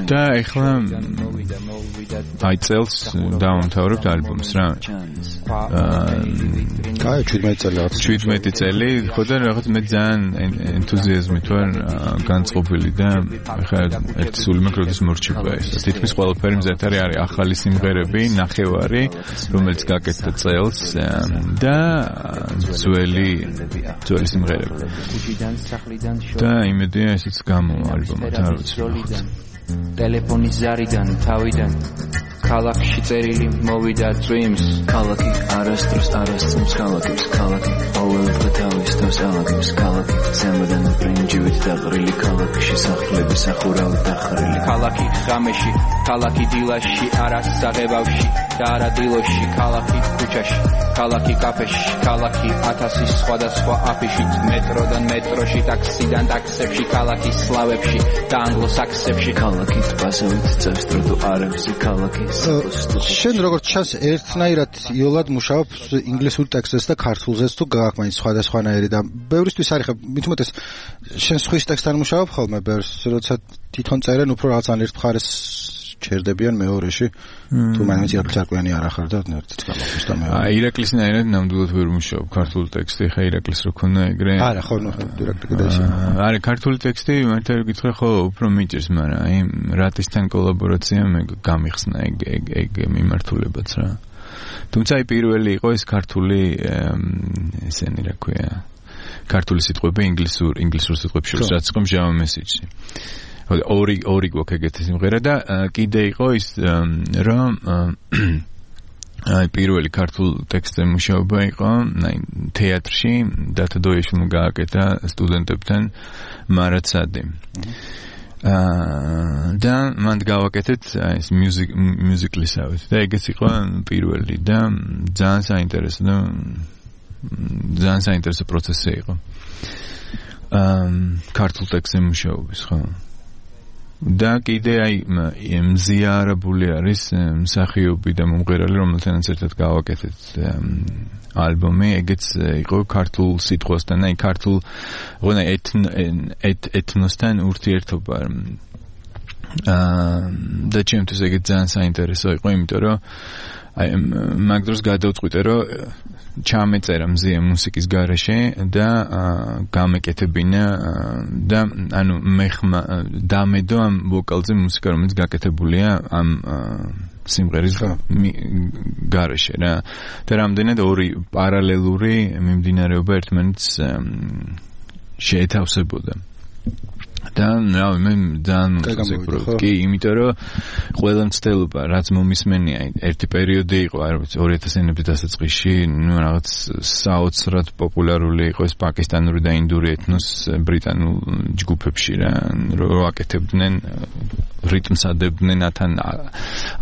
და ეხლა აი წელს დავამთავრებთ ალბომს რა კაი შვიდმეტი წელი შვიდმეტი წელი ხო და რაღაც მე ძალიან ენთუზიაზმით ვარ განწყობილი და ეხლა ერთი სული მაქვს როდის მორჩები მუსიკა ეს. თითქმის ყველაფერი მზად არის, არის ახალი სიმღერები, ნახევარი, რომელიც გაკეთდა წელს და ძველი ძველი სიმღერები. და იმედია ესეც გამოვა ალბომად, არ ვიცი. ტელეფონის ზარიდან თავიდან ქალაქში წერილი მოვიდა წვიმს ქალაქი არასდროს არასწამს ქალაქებს ქალაქი ყოველდღე თავის თავს ალაგებს ქალაქი ზემოდან ბრინჯივით დაყრილი ქალაქში სახლები სახურავით დახრილი ქალაქი ღამეში ქალაქი დილაში არასაღებავში და არა დილოში ქალაქი ქუჩაში ქალაქი კაფეში ქალაქი ათასი სხვადასხვა აფიშით მეტროდან მეტროში ტაქსიდან ტაქსებში ქალაქი სლავებში და ანგლოსაქსებში ქალაქი ტბასევით წევს დროდო არებზე ქალაქი შენ როგორც ჩანს ერთნაირად იოლად მუშაობს ინგლისურ ტექსტებს და ქართულზეც თუ გააქმნის სხვადასხვანაირი და ბევრისთვის არის ხა მით უმეტეს შენ სხვის ტექსტთან მუშაობ ხოლმე ბევრს როცა თვითონ წერენ უფრო რაღაც ან ერთ მხარეს ჩერდებიან მეორეში თუ მაინც ირაკლიანი არ ახარ და ერთიც გამოხდეს და მეორე აი ირაკლისნაირად ნამდვილად ვერ მუშაობ ქართულ ტექსტი ხა ირაკლის რო ქონა ეგრე არა ხო ნუ ირაკლი და ისე არა ქართული ტექსტი მართლა გითხრა ხო უფრო მიჭირს მაგრამ აი რატისთან კოლაბორაცია მე გამიხსნა ეგ ეგ ეგ მიმართულებაც რა თუმცა აი პირველი იყო ეს ქართული ესენი რა ქვია ქართული სიტყვები ინგლისურ ინგლისურ სიტყვებში რაც იყო Java message-ში ორი ორი გვაქვს ეგეთი სიმღერა და კიდე იყო ის რომ აი პირველი ქართულ ტექსტზე მუშაობა იყო აი თეატრში დათო დოიაშვილმა გააკეთა სტუდენტებთან მარაცადი აა და მან გავაკეთეთ აი ეს music musical-ისავით და ეგეც იყო პირველი და ძალიან საინტერესო და ძალიან საინტერესო პროცესი იყო აა ქართულ ტექსტზე მუშაობის ხო და კიდე აი მზიარებული არის მსახიობი და მომღერალი რომელთანაც ერთად გავაკეთეთ ალბომი ეგეც იყო ქართულ სიტყვასთან აი ქართულ ღონა ეთნოსთან ურთიერთობა აა და ჩემთვის ეგეც ძალიან საინტერესო იყო იმიტომ რომ აი მაგ დროს გადავწყვიტე რომ ჩამეწერა მზია მუსიკის გარეშე და გამეკეთებინა და ანუ მე დამედო ამ ვოკალზე მუსიკა რომელიც გაკეთებულია ამ სიმღერის გარეშე რა და რამდენად ორი პარალელური მიმდინარეობა ერთმანეთს შეეთავსებოდა და რა მე ძალიან მოგწექრო კი იმიტომ რომ ყველა მცდელობა რაც მომისმენია ერთი პერიოდი იყო არ ვიცი ორი ათას ენების დასაწყისში ნუ რაღაც საოცრად პოპულარული იყო ეს პაკისტანური და ინდური ეთნოს ბრიტანულ ჯგუფებში რა რო აკეთებდნენ რიტმს ადებდნენ ათან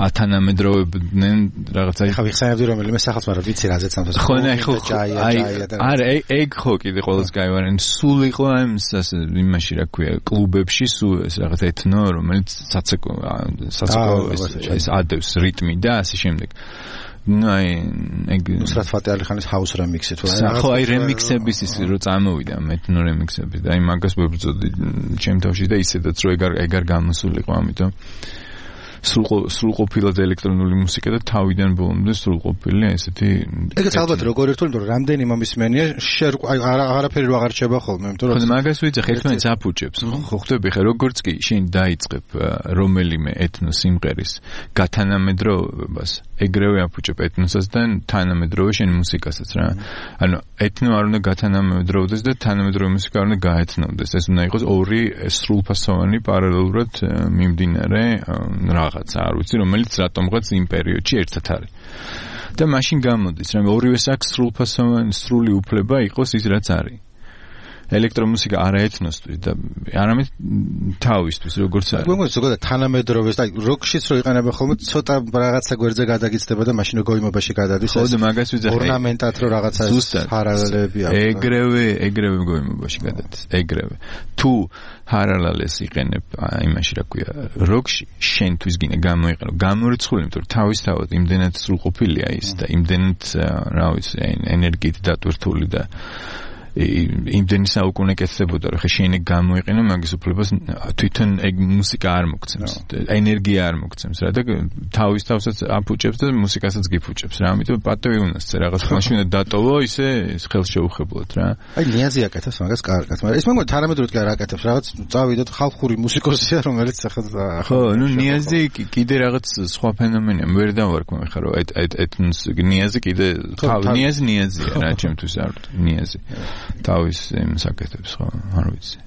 ათანამედროვებდნენ რაღაცა ხა ვიხსენებდი რომელიმე სახელს მაგრამ ვიცი რაზეც ამ ხო ნე ხო აი არა ეგ ხო კიდე ყოველს გაივარენ სულ იყო ამ იმაში რა ქვია კლუბებში სულ ეს რაღაც ეთნო რომელიც საცეკო საცეკო ეს ადევს რიტმი და ასე შემდეგ ну აი ეგ ნუსრათ ფატეალიხანის house remix-ი თუ რა ხო აი remix-ების ის რო წამოვიდა ეთნო remix-ები და აი მაგას ვებრძოდი ჩემ თავში და ისედაც რო ეგ არ ეგ არ გამოსულიყო ამიტომ სრულყოფილად ელექტრონული მუსიკა და თავიდან ბოლომდე სრულყოფილი ესეთი ეგეც ალბათ როგორ ერთული რომ რამდენი მომისმენია აი აღარაფერი რო აღარ ჩება ხოლმე იმიტომ რომ მაგას ვიცი ერთმანეთს აფუჭებს ხო ხვდები ხე როგორც კი შენ დაიწყებ რომელიმე ეთნო სიმღერის გათანამედროვებას ეგრევე აფუჭებ ეთნოსას და თანამედროვე შენ მუსიკასაც რა ანუ ეთნო არ უნდა გათანამედროვდეს და თანამედროვე მუსიკა არ უნდა გაეთნოვდეს ეს უნდა იყოს ორი სრულფასოვანი პარალელურად მიმდინარე რაღაცა არ ვიცი რომელიც რატომღაც იმ პერიოდში ერთად არის და მაშინ გამოდის რომ ორივეს აქვს სრულფასოვანი სრული უფლება იყოს ის რაც არის ელექტრომუსიკა არა ეთნოსთვის და არამედ თავისთვის როგორც არის. მოგონი ზოგადად თანამედროვეს და როკშიც რო იყენებენ ხოლმე ცოტა რაღაცა გვერდზე გადაგიცდება და მაშინ გოიმობაში გადადის. ხო და მაგას ვიძახე. ორნამენტად რო რაღაცა პარალელები აქვს. ეგრევე, ეგრევე გოიმობაში გადადის. ეგრევე. თუ პარალელს იყენებ იმაში რა ქვია როკში შენთვის გინდა გამოიყენო გამორიცხული იმიტომ რომ თავისთავად იმდენად სრულყოფილია ის და იმდენად რა ვიცი ენერგიით დატვირთული და იმდენი საუკუნე კეთდებოდა, რომ ხე შენი გამოიყენო მაგის უფლებას თვითონ ეგ მუსიკა არ მოგცემს, ენერგია არ მოგცემს რა და თავის თავსაც აფუჭებს და მუსიკასაც გიფუჭებს რა. ამიტომ პატივი უნდა წე რაღაც მაშინ უნდა დატოვო ისე ხელშეუხებლად რა. აი ნიაზი აკეთებს მაგას კარგად, მაგრამ ეს მოგონი თანამედროვე კი არ აკეთებს, რაღაც წავიდეთ ხალხური მუსიკოსია, რომელიც ახლა ხო, ნუ ნიაზი კიდე რაღაც სხვა ფენომენია, ვერ დავარქმევ ხა რომ այդ այդ ნიაზი კიდე ნიაზი ნიაზია რა ჩემთვის არ ნიაზი. თავის იმს აკეთებს ხო, არ ვიცი.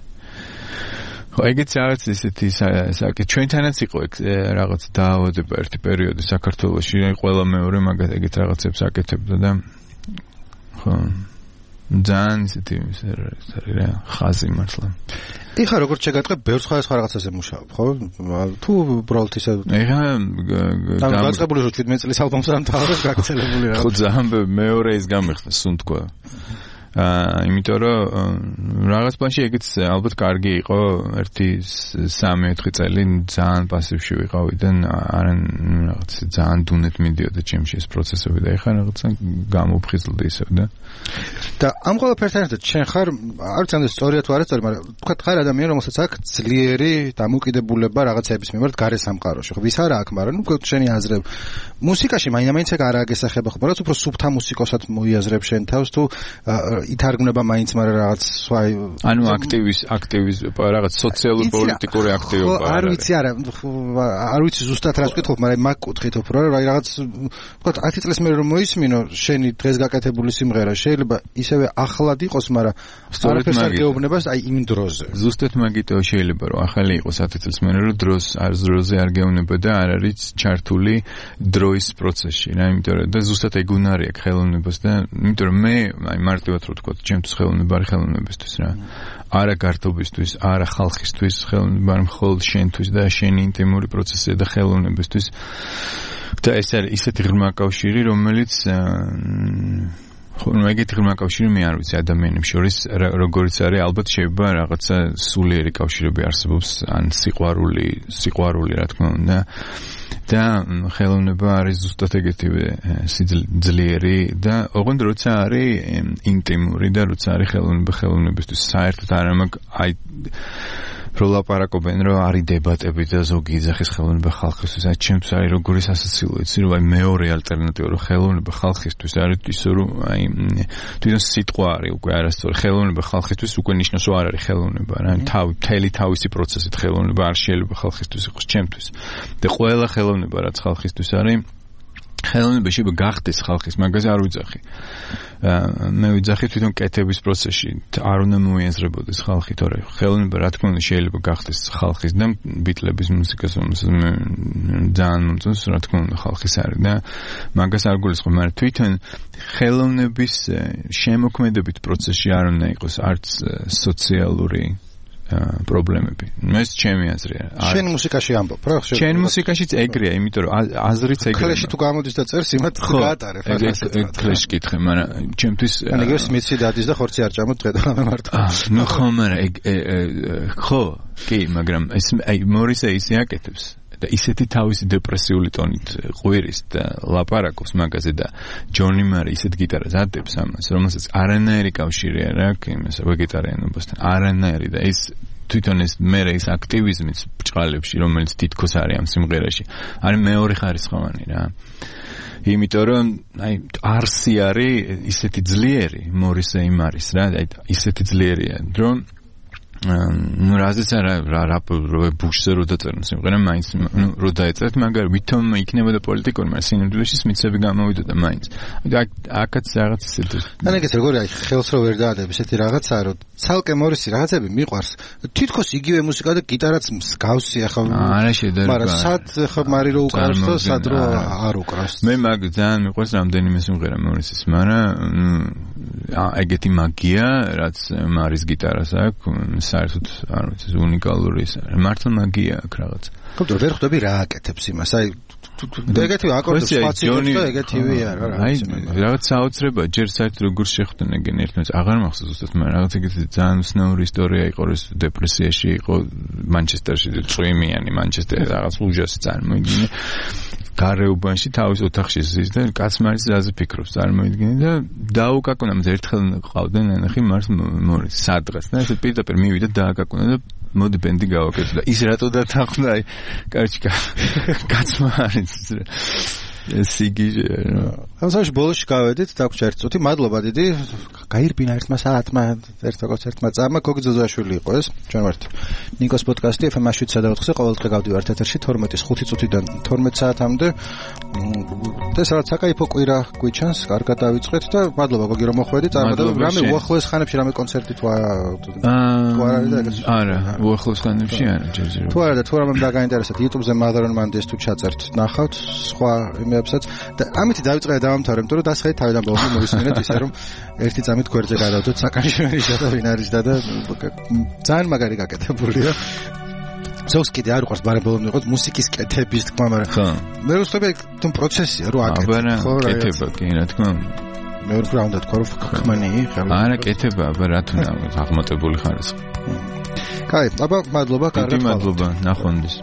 ხო, ეგეც რაღაც ისეთი საკითხი ჩვენთანაც იყო რაღაც დაავადება ერთი პერიოდი საქართველოში, ყველა მეორე მაგათ ეგეთ რაღაცებს აკეთებდა და ხო ძალიან ისეთი რა ხაზი მართლა. ეხლა როგორც შეგატყე, ბევრ სხვადასხვა რაღაცაზე მუშაობ, ხო? თუ უბრალოდ ისე ეხლა დაწყებული რომ შვიდმეტ წლის ალბომს არ მთავრებს გაქცელებული რა. ხო, ძალიან მეორე ის გამიხდა, სულ თქვა. აა იმიტომ რომ რაღაც პლანში ეგეც ალბათ კარგი იყო ერთი სამი ოთხი წელი ძალიან პასივში ვიყავიდან არან რაღაც ძალიან დუნეთ მიდიოდა ჩემში ეს პროცესები და ეხლა რაღაცა გამოფხიზლდი ისევ და და ამ ყველაფერთან ერთად შენ ხარ არ ვიცი ამ სწორია თუ არა სწორი მაგრამ თქვა ხარ ადამიანი რომელსაც აქვს ძლიერი დამოკიდებულება რაღაცების მიმართ გარე სამყაროში ხო ვის არა აქვს მაგრამ ნუ შენი აზრები მუსიკაში მაინც ეგ არაა გესახება ხო რაც უფრო სუფთა მუსიკოსად მოიაზრებ შენ თავს თუ ითარგმნება მაინც მაგრამ რაღაც სხვა ანუ აქტივის აქტივის რაღაც სოციალურ პოლიტიკური აქტივობა არ ვიცი არა არ ვიცი ზუსტად რას ვკითხობ მაგრამ მაგ კუთხით უფრო რა რაღაც თქვა ათი წლის მერე რომ მოისმინო შენი დღეს გაკეთებული სიმღერა შეიძლება ისევე ახლად იყოს მაგრამ სწორედ არ გეუბნებას აი იმ დროზე ზუსტად მაგითო შეიძლება რომ ახალი იყოს ათი წლის მერე რომ დროს არ დროზე არ გეუბნება და არ არის ჩართული დროის პროცესში რა იმიტომ რომ და ზუსტად ეგ უნარი აქვს ხელოვნებას და იმიტომ რომ მე აი მარტივად რო თქვა ჩემთვის ხელოვნება არის ხელოვნებისთვის რა არა გართობისთვის არა ხალხისთვის ხელოვნება არის მხოლოდ შენთვის და შენი ინტიმური პროცესია და ხელოვნებისთვის და ეს არის ისეთი ღრმა კავშირი რომელიც ხო ნუ ეგეთი ღრმა კავშირი მე არ ვიცი ადამიანებს შორის როგორიც არის ალბათ შეიძლება რაღაცა სულიერი კავშირები არსებობს ან სიყვარული სიყვარული რა თქმა უნდა და ხელოვნება არის ზუსტად ეგეთივე ძლიერი და ოღონდ როცა არის ინტიმური და როცა არის ხელოვნება ხელოვნებისთვის საერთოდ არ ამაკ აი რო ლაპარაკობენ რომ არის დებატები და ზოგი იძახის ხელოვნება ხალხისთვის აი ჩემთვის არის როგორი სასაცილო იცი რომ აი მეორე ალტერნატივა რომ ხელოვნება ხალხისთვის არის ისე რომ აი თვითონ სიტყვა არის უკვე არასწორი ხელოვნება ხალხისთვის უკვე ნიშნავს რომ არ არის ხელოვნება რა თავი მთელი თავისი პროცესით ხელოვნება არ შეიძლება ხალხისთვის იყოს ჩემთვის და ყველა ხელოვნება რაც ხალხისთვის არის ხელოვნება შეიძლება გახდეს ხალხის მაგაზე არ ვიძახი მე ვიძახი თვითონ კეთების პროცესში არ უნდა მოიაზრებოდეს ხალხი თორე ხელოვნება რა თქმა უნდა შეიძლება გახდეს ხალხის და ბიტლების მუსიკას რომელსაც მე ძალიან მომწონს რა თქმა უნდა ხალხის არის და მაგას არ გულისხმობ მაგრამ თვითონ ხელოვნების შემოქმედებით პროცესში არ უნდა იყოს არც სოციალური პრობლემები. ეს ჩემი აზრია. შენ მუსიკაში ამბობ, რა ხო? შენ მუსიკაშიც ეგრეა, იმიტომ რომ აზრიც ეგრეა. კლეში თუ გამოდის და წერს, იმათ გაატარებ. ეგ კლეში კითხე, მაგრამ ჩემთვის ანუ ეგ სმიცი დადის და ხორცი არ ჭამოთ დღე და მარტო. ნუ ხო, მაგრამ ეგ ხო, კი, მაგრამ ეს აი მორისე ისე აკეთებს. და ისეთი თავისი დეპრესიული ტონით ყვირის და ლაპარაკობს მაგაზე და ჯონი მარი ისეთ გიტარას ატებს ამას, რომელსაც არანაირი კავშირი არ აქვს იმას ვეგეტარიანობასთან. არანაირი და ეს თვითონ ეს მერე ის აქტივიზმის ბჭყალებში, რომელიც თითქოს არის ამ სიმღერაში, არის მეორე ხარისხოვანი რა. იმიტომ რომ აი არსი არის ისეთი ძლიერი, მორისე იმ არის რა, აი ისეთი ძლიერია, რომ ну разница რა ბუშზე რო დაწერნ სიმღერა მაინც ну რო დაეწერთ მაგრამ ვითომ იქნებოდა პოლიტიკური მაგრამ სინამდვილეში სმიცები გამოვიდოდა მაინც აკაც რაღაც ისეთი ან ეგეც როგორი აი ხელს რო ვერ დაადებ ესეთი რაღაცა რომ ცალკე მორისი რაღაცები მიყვარს თითქოს იგივე მუსიკა და გიტარაც მსგავსია ხო არა შედარება მაგრამ სად ხო მარი რო უკრავს და სად რო არ უკრავს მე მაგ ძალიან მიყვარს რამდენიმე სიმღერა მორისის მაგრამ ეგეთი მაგია რაც მარის გიტარას აქვს საერთოდ არ ვიცი უნიკალური ის არის მართლა მაგია აქვს რაღაც ხომ ვერ ხვდები რა აკეთებს იმას აი ეგეთი აკორდებს სპაციალისტი და ეგეთივე არა რა აი რაღაც საოცრება ჯერ საერთოდ როგორ შეხვდნენ ერთმანეთს აღარ მახსოვს ზუსტად მაგრამ რაღაც ეგეთი ძალიან უცნაური ისტორია იყო ეს დეპრესიაში იყო მანჩესტერში წვიმიანი მანჩესტერი რაღაც უჯასი წარმოიდგინე გარეუბანში თავის ოთახში ზის და კაცმა არის ზაზე ფიქრობს წარმოიდგინე და დაუკაკუნა მას ერთხელ ყავდნენ ნახი მარს მორის სადღაც და ესე პირდაპირ მივიდა დააკაკუნა და მოდი ბენდი გავაკეთე და ის რატო დათანხმდა აი კარჩი კაცმა არის სიგიჟე რა ამასაში ბოლოში გავედით დაგვჭა ერთი წუთი მადლობა დიდი გაირბინა ერთმა საათმა ერთ კონცერტმა წამა გოგზოზაშვილი იყო ეს ჩვენ ვართ ნიკოს პოდკასტი ეფ ემ შვიდ ოთხზე ყოველდღე გავდივართ ეთერში თორმეტის ხუთი წუთიდან თორმეტ საათამდე და სადაც საკაიფო კვირა გვიჩანს კარგად დავიწყეთ და მადლობა გოგი რომ მოხვედი წარმატება რამე უახლოეს ხანებში რამე კონცერტი თუ არა თუ არა და ეგეც არა უახლოეს ხანებში არა ჯერჯერობით თუ არა და თუ რამე დაგაინტერესებთ YouTube-ზე მადარონ მანდეს თუ ჩაწერთ ნახავთ სხვა იმებსაც და ამით დავიწყე დავამთავრე იმიტომ რომ დასხედე თავიდან ბოლომდე მოვისმინეთ ისე რომ ერთი წამით გვერდზე გადავდოთ საკანშევენის და ვინ არის და და ძალიან მაგარი გაკეთებულია ზოგს კიდე არ უყვარს ბარემ ბოლომდე იყოს მუსიკის კეთების თქმა მაგრამ მე ვსწრები თუ პროცესია რო აკეთებ ხო რა კეთება კი რა თქმა უნდა მე ვფიქრობ უნდა თქვა რომ ხმანი არა კეთება აბა რა თქმა უნდა აღმატებული ხარისხი კაი აბა მადლობა კარგად მადლობა ნახვამდის